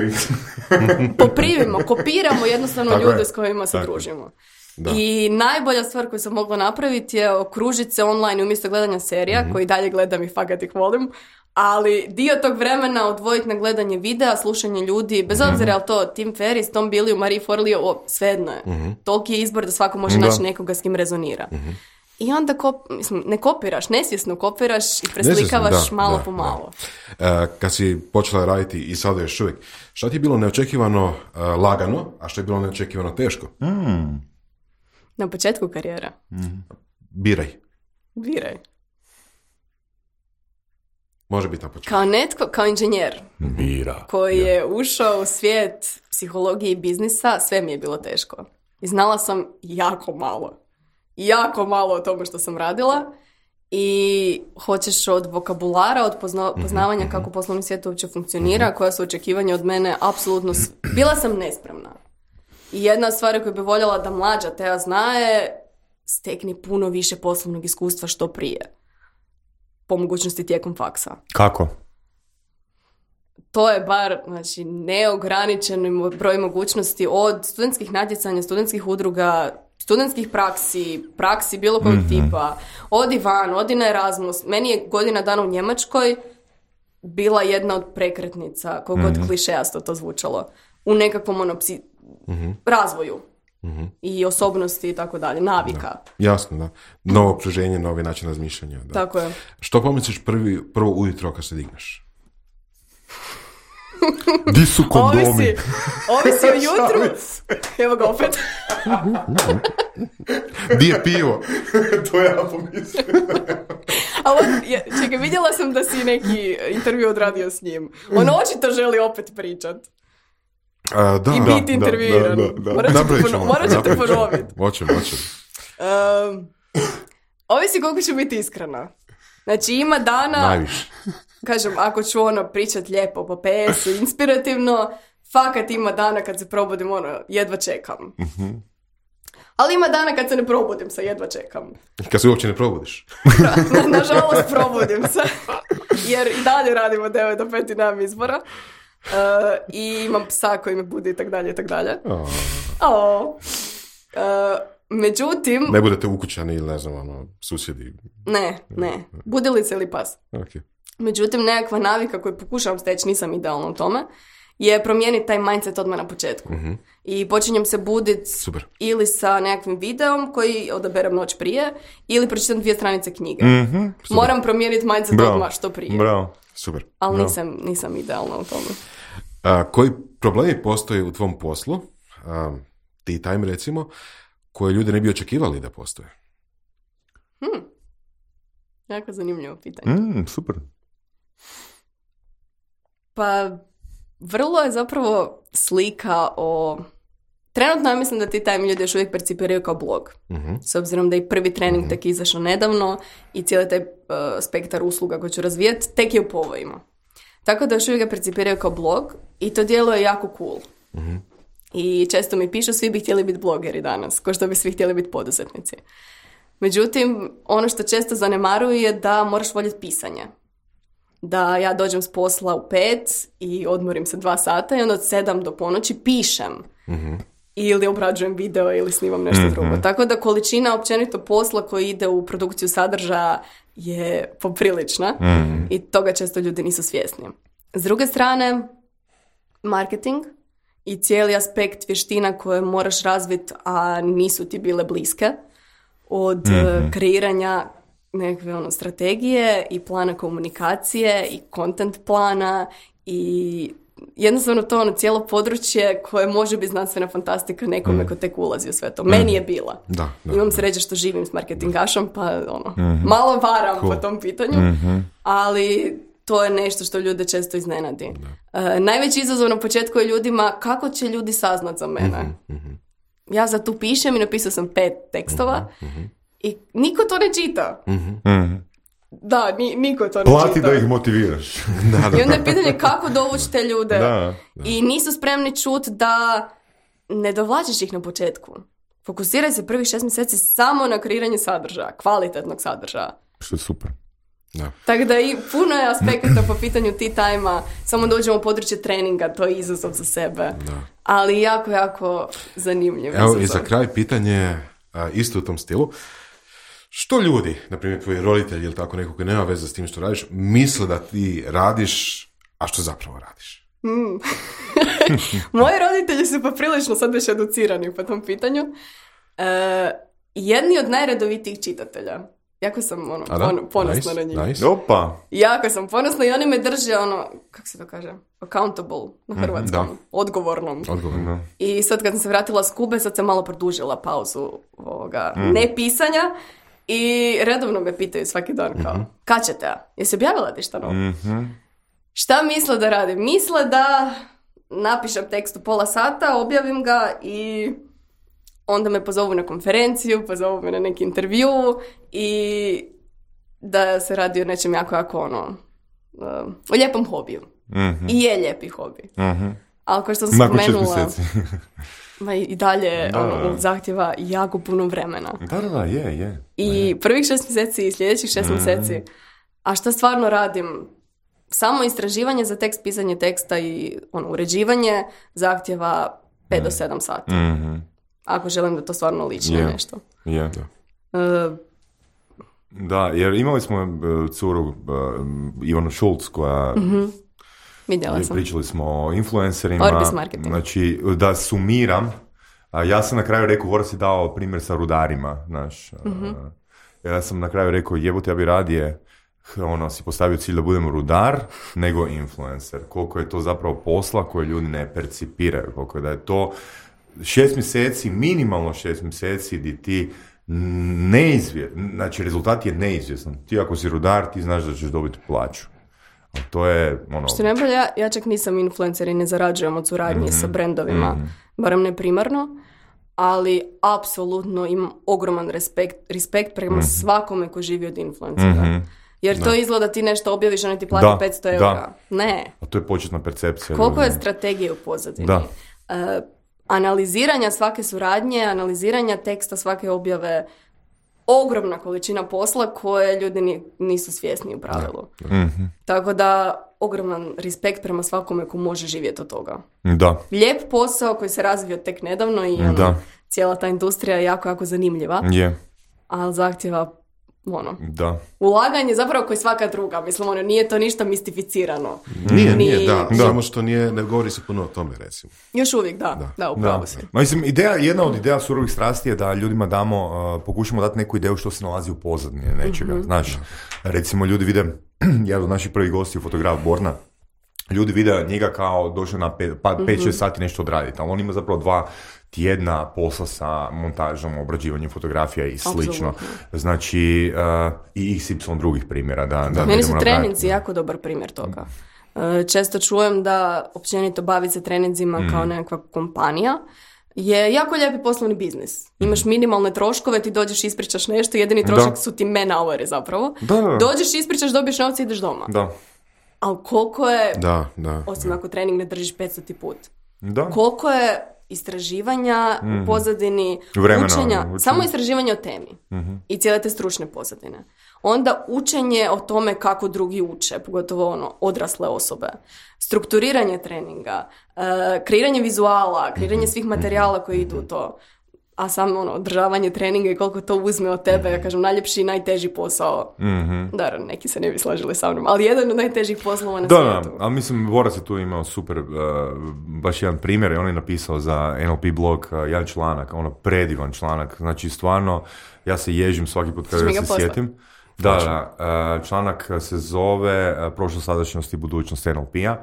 3. Poprivimo, kopiramo jednostavno tako ljude s kojima se družimo. Da. I najbolja stvar koju sam mogla napraviti je okružiti se online umjesto gledanja serija, koji dalje gledam i fakat ih volim, ali dio tog vremena odvojiti na gledanje videa, slušanje ljudi, bez obzira je li to Tim Ferriss, Tom Billy, Marie Forleo, svejedno je. Toliki je izbor da svako može naći nekoga s kim rezonira. I onda ne kopiraš, nesvjesno kopiraš i preslikavaš malo po malo. Kad si počela raditi i sada još uvijek, šta ti je bilo neočekivano lagano, a što je bilo neočekivano teško? Na početku karijera. Biraj. Može biti na početku. Kao inženjer. Bira. Koji je ušao u svijet psihologije i biznisa, sve mi je bilo teško. I znala sam jako malo o tome što sam radila i hoćeš od vokabulara, od poznavanja kako poslovni svijet uopće funkcionira, koja su očekivanja od mene, apsolutno bila sam nespremna. I jedna stvar koju bi voljela da mlađa Teja zna je stekni puno više poslovnog iskustva što prije. Po mogućnosti tijekom faksa. Kako? To je bar, znači, neograničen broj mogućnosti od studentskih natjecanja, studentskih udruga, studentskih praksi bilo kojeg tipa, odi van, odi na Erasmus. Meni je godina dana u Njemačkoj bila jedna od prekretnica, koliko god klišejasto to zvučalo, u nekakvom razvoju i osobnosti i tako dalje, navika. Da. Jasno, da. Novo okruženje, novi način razmišljanja. Da. Tako je. Što pomisliš prvo ujutro kad se digneš? Di su kondomi? Ovisi o jutru. Evo ga opet. Di je pivo? To ja pomislim. Čekaj, vidjela sam da si neki intervju odradio s njim. On očito želi opet pričat. I biti intervjuiran. Morat ćete ponoviti. Hoćem. Ovisi koliko ću biti iskrena. Znači, ima dana... Najviše. Kažem, ako ću pričat lijepo po PS-u, inspirativno, fakat ima dana kad se probudim, jedva čekam. Ali ima dana kad se ne probudim, jedva čekam. Kad se uopće ne probudiš? Nažalost, probudim se. Jer i dalje radimo 9 do 5 i nemam izbora. I imam psa koji me budi i tak dalje, i tak dalje. Međutim... Ne budete ukućani ili ne znam, susjedi? Ne. Budilica ili pas. Okay. Međutim, nekakva navika koju pokušavam steći, nisam idealna u tome, je promijeniti taj mindset odmah na početku. I počinjem se buditi ili sa nekakvim videom koji odaberem noć prije, ili pročitam 2 stranice knjige. Moram promijeniti mindset odmah što prije. Bravo. Super. Ali nisam idealna u tome. Koji problemi postoje u tvom poslu, tea time recimo, koje ljudi ne bi očekivali da postoje? Jako zanimljivo pitanje. Super. Pa, vrlo je zapravo slika o... Trenutno ja mislim da ti time ljudi još uvijek percipiraju kao blog. S obzirom da je prvi trening tek izašao nedavno i cijeli taj spektar usluga koji ću razvijati tek je u povojima. Tako da još uvijek ga percipiraju kao blog i to djeluje jako cool. I često mi pišu, svi bi htjeli biti blogeri danas, kao što bi svi htjeli biti poduzetnici. Međutim, ono što često zanemaruju je da moraš voljeti pisanje. Da ja dođem s posla u 5 i odmorim se 2 sata i onda od 7 do ponoći pišem. Ili obrađujem video ili snimam nešto drugo. Tako da količina općenito posla koji ide u produkciju sadržaja je poprilična i toga često ljudi nisu svjesni. S druge strane, marketing i cijeli aspekt vještina koje moraš razviti, a nisu ti bile bliske, od kreiranja nekakve strategije i plana komunikacije i content plana i jednostavno to cijelo područje koje može biti znanstvena fantastika nekome ko tek ulazi u sve to. Meni je bila. Da, imam sreće što živim s marketingašom, pa malo varam po tom pitanju, ali to je nešto što ljude često iznenadi. Najveći izazov na početku je ljudima kako će ljudi saznat za mene. Ja za tu pišem i napisao sam 5 tekstova i niko to ne čita. Da, niko to ne čita. Plati da ih motiviraš. I onda je pitanje kako dovući te ljude. I nisu spremni čuti da ne dovlačiš ih na početku. Fokusiraj se prvih 6 mjeseci samo na kreiranje sadržaja, kvalitetnog sadržaja. Što je super. Da. Tako da i puno je aspekata po pitanju tea time-a, samo dođemo u područje treninga, to je izazov za sebe. Da. Ali jako, jako zanimljiv. Evo i za kraj pitanje, isto u tom stilu. Što ljudi, na primjer tvoji roditelji ili tako neko koji nema veze s tim što radiš, misle da ti radiš, a što zapravo radiš? Moji roditelji su poprilično sad već educirani po tom pitanju. Jedni od najredovitijih čitatelja. Jako sam ponosna na njih. Nice. Opa. Jako sam ponosna i oni me drže kako se to kaže, accountable na hrvatskom, odgovornom. I sad kad sam se vratila s Kube, sad sam malo produžila pauzu ne pisanja i redovno me pitaju svaki dan kao, kad ćete? Jesi objavila ti šta novo? Šta misle da radim? Misle da napišem tekst u pola sata, objavim ga i onda me pozovu na konferenciju, pozovu me na neki intervju i da se radi o nečem jako o lijepom hobiju. I je lijepi hobi. Ali kao što sam spomenula, i dalje zahtjeva jako puno vremena. Da, je. I prvih 6 mjeseci i sljedećih 6 mjeseci, a šta stvarno radim? Samo istraživanje za tekst, pisanje teksta i uređivanje zahtjeva 5 do 7 sati. Ako želim da to stvarno liči na nešto. Da, jer imali smo curu Ivanu Šulc koja... Vidjela sam. Pričali smo o influencerima. Orbis marketing. Znači, da sumiram, ja sam na kraju rekao, Voras je dao primjer sa rudarima, znaš. Ja sam na kraju rekao, jebote, ja bi radije si postavio cilj da budemo rudar, nego influencer. Koliko je to zapravo posla koje ljudi ne percipiraju. Koliko je da je to 6 mjeseci, minimalno 6 mjeseci di ti znači rezultat je neizvjestan. Ti ako si rudar, ti znaš da ćeš dobiti plaću. A to je Što ne bolje, ja čak nisam influencer i ne zarađujem od suradnje sa brendovima, barem ne primarno, ali apsolutno imam ogroman respekt prema svakome ko živi od influencera. Jer to izgleda ti nešto objaviš, oni ti plati 500 eura. Ne. A to je početna percepcija. Koliko je strategije u pozadini? Analiziranja svake suradnje, analiziranja teksta svake objave, ogromna količina posla koje ljudi nisu svjesni u pravilu. Tako da, ogroman respekt prema svakome ko može živjeti od toga. Da. Lijep posao koji se razvio tek nedavno i cijela ta industrija je jako, jako zanimljiva. Ali zahtjeva ulaganje zapravo koji svaka druga. Mislim, nije to ništa mistificirano. Nije, samo što ne govori se puno o tome, recimo. Još uvijek, da, upravo si. Mislim, jedna od ideja surovih strasti je da ljudima pokušamo dati neku ideju što se nalazi u pozadini nečega. Znaš, recimo ljudi vide, jedan od naših prvih gosti, fotograf Borna, ljudi vide njega kao došao na 5-6 sati nešto odraditi, ali on ima zapravo 2 tjedna posla sa montažom, obrađivanjem fotografija i slično. Znači, i XY drugih primjera. Meni su treninzi jako dobar primjer toga. Često čujem da općenito baviti se treninzima kao nekakva kompanija je jako lijepi poslovni biznis. Imaš minimalne troškove, ti dođeš, ispričaš nešto, jedini trošak su ti man-houri zapravo. Dođeš, ispričaš, dobiješ novce i ideš doma. Ali koliko je, osim ako trening ne držiš 500 put, koliko je istraživanja u pozadini, učenja, samo istraživanje o temi i cijele te stručne pozadine. Onda učenje o tome kako drugi uče, pogotovo odrasle osobe. Strukturiranje treninga, kreiranje vizuala, kreiranje svih materijala koji idu u to. A samo održavanje treninga i koliko to uzme od tebe, ja kažem, najljepši i najteži posao. Da, neki se ne bi složili sa mnom, ali jedan od najtežih poslova na svijetu. Da, ali mislim, Voras je tu imao super, baš jedan primjer, i on je napisao za NLP blog jedan članak, predivan članak, znači stvarno, ja se ježim svaki put kada se sjetim. Članak se zove Prošlost, sadašnjost i budućnost NLP-a.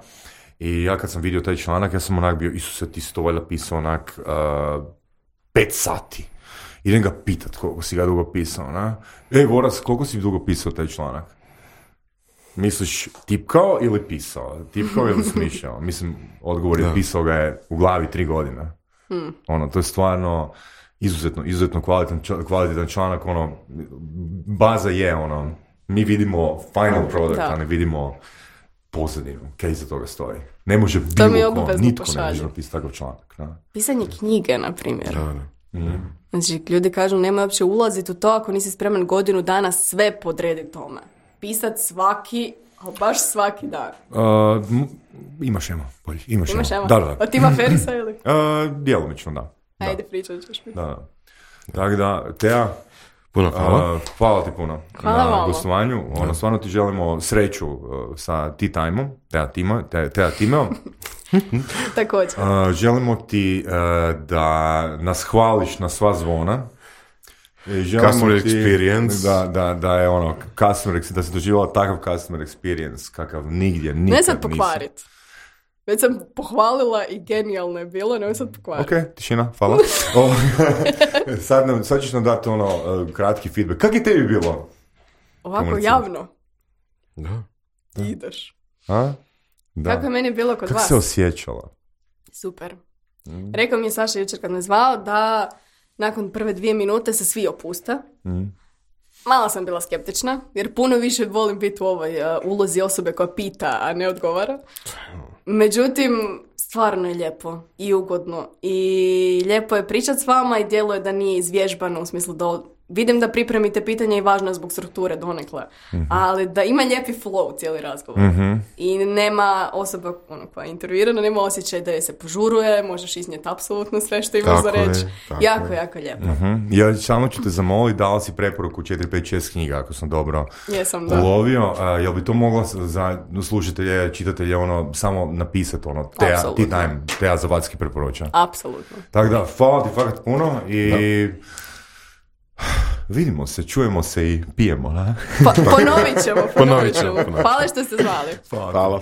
I ja kad sam vidio taj članak, ja sam onak bio, Isuse, ti si to valjda pisao onak 5 sati. Idem ga pitat koliko si ga dugo pisao, na? Voras, koliko si dugo pisao taj članak? Misliš tipkao ili pisao? Tipkao ili smišljao? Mislim, odgovor je pisao ga je u glavi 3 godine. To je stvarno izuzetno kvalitetan članak, baza je, mi vidimo final product, a ne vidimo pozadinu, kaj iza toga stoji. Ne može bilo ko, nitko ne može napisati takav članak. Pisanje knjige, na primjer. Znači, ljudi kažu, nemoj uopće ulaziti u to ako nisi spreman godinu dana sve podrediti tome. Pisat svaki, ali baš svaki dan. Imaš ema, bolje. Imaš ema. Da. A ti ima Ferisa ili? Djelomično, da. Ajde, pričat ćeš mi. Da. Tako da, Teja, puno hvala. Hvala ti puno na gostovanju. Stvarno ti želimo sreću sa Tea Time-om, Teja Timeo. Također. Želimo ti da nas hvališ na sva zvona. Customer experience. Da je da se doživjela takav customer experience kakav nigdje nikad ne sad pokvarit. Već sam pohvalila i genijalno je bilo, ne sad pokvariti. Ok, tišina, hvala. Sad ćeš nam dati kratki feedback. Kako je tebi bilo? Ovako javno? Da. Ideš. A? Da. Kako je meni bilo kod vas? Kako se osjećala? Super. Rekao mi je Saša jučer kad me zvao da nakon prve 2 minute se svi opuste. Malo sam bila skeptična, jer puno više volim biti u ovoj ulozi osobe koja pita, a ne odgovara. Međutim, stvarno je lijepo i ugodno i lijepo je pričati s vama i djeluje da nije izvježbano u smislu da vidim da pripremite pitanje i važno je zbog strukture donekle, ali da ima lijepi flow cijeli razgovor i nema osoba koja je intervjuirana, nema osjećaj da je se požuruje, možeš iznijeti apsolutno sve što imaš za reći. Jako lijepo. Ja samo ću te zamoliti, dala si preporuku 4, 5, 6 knjiga, ako sam dobro ulovio. Jel bi to mogla za slušatelje, čitatelje, samo napisati, Teja Zavadski preporuča? Apsolutno. Tako da, hvala ti fakat puno i vidimo se, čujemo se i pijemo. Ponovit ćemo. Hvala što ste zvali. Hvala.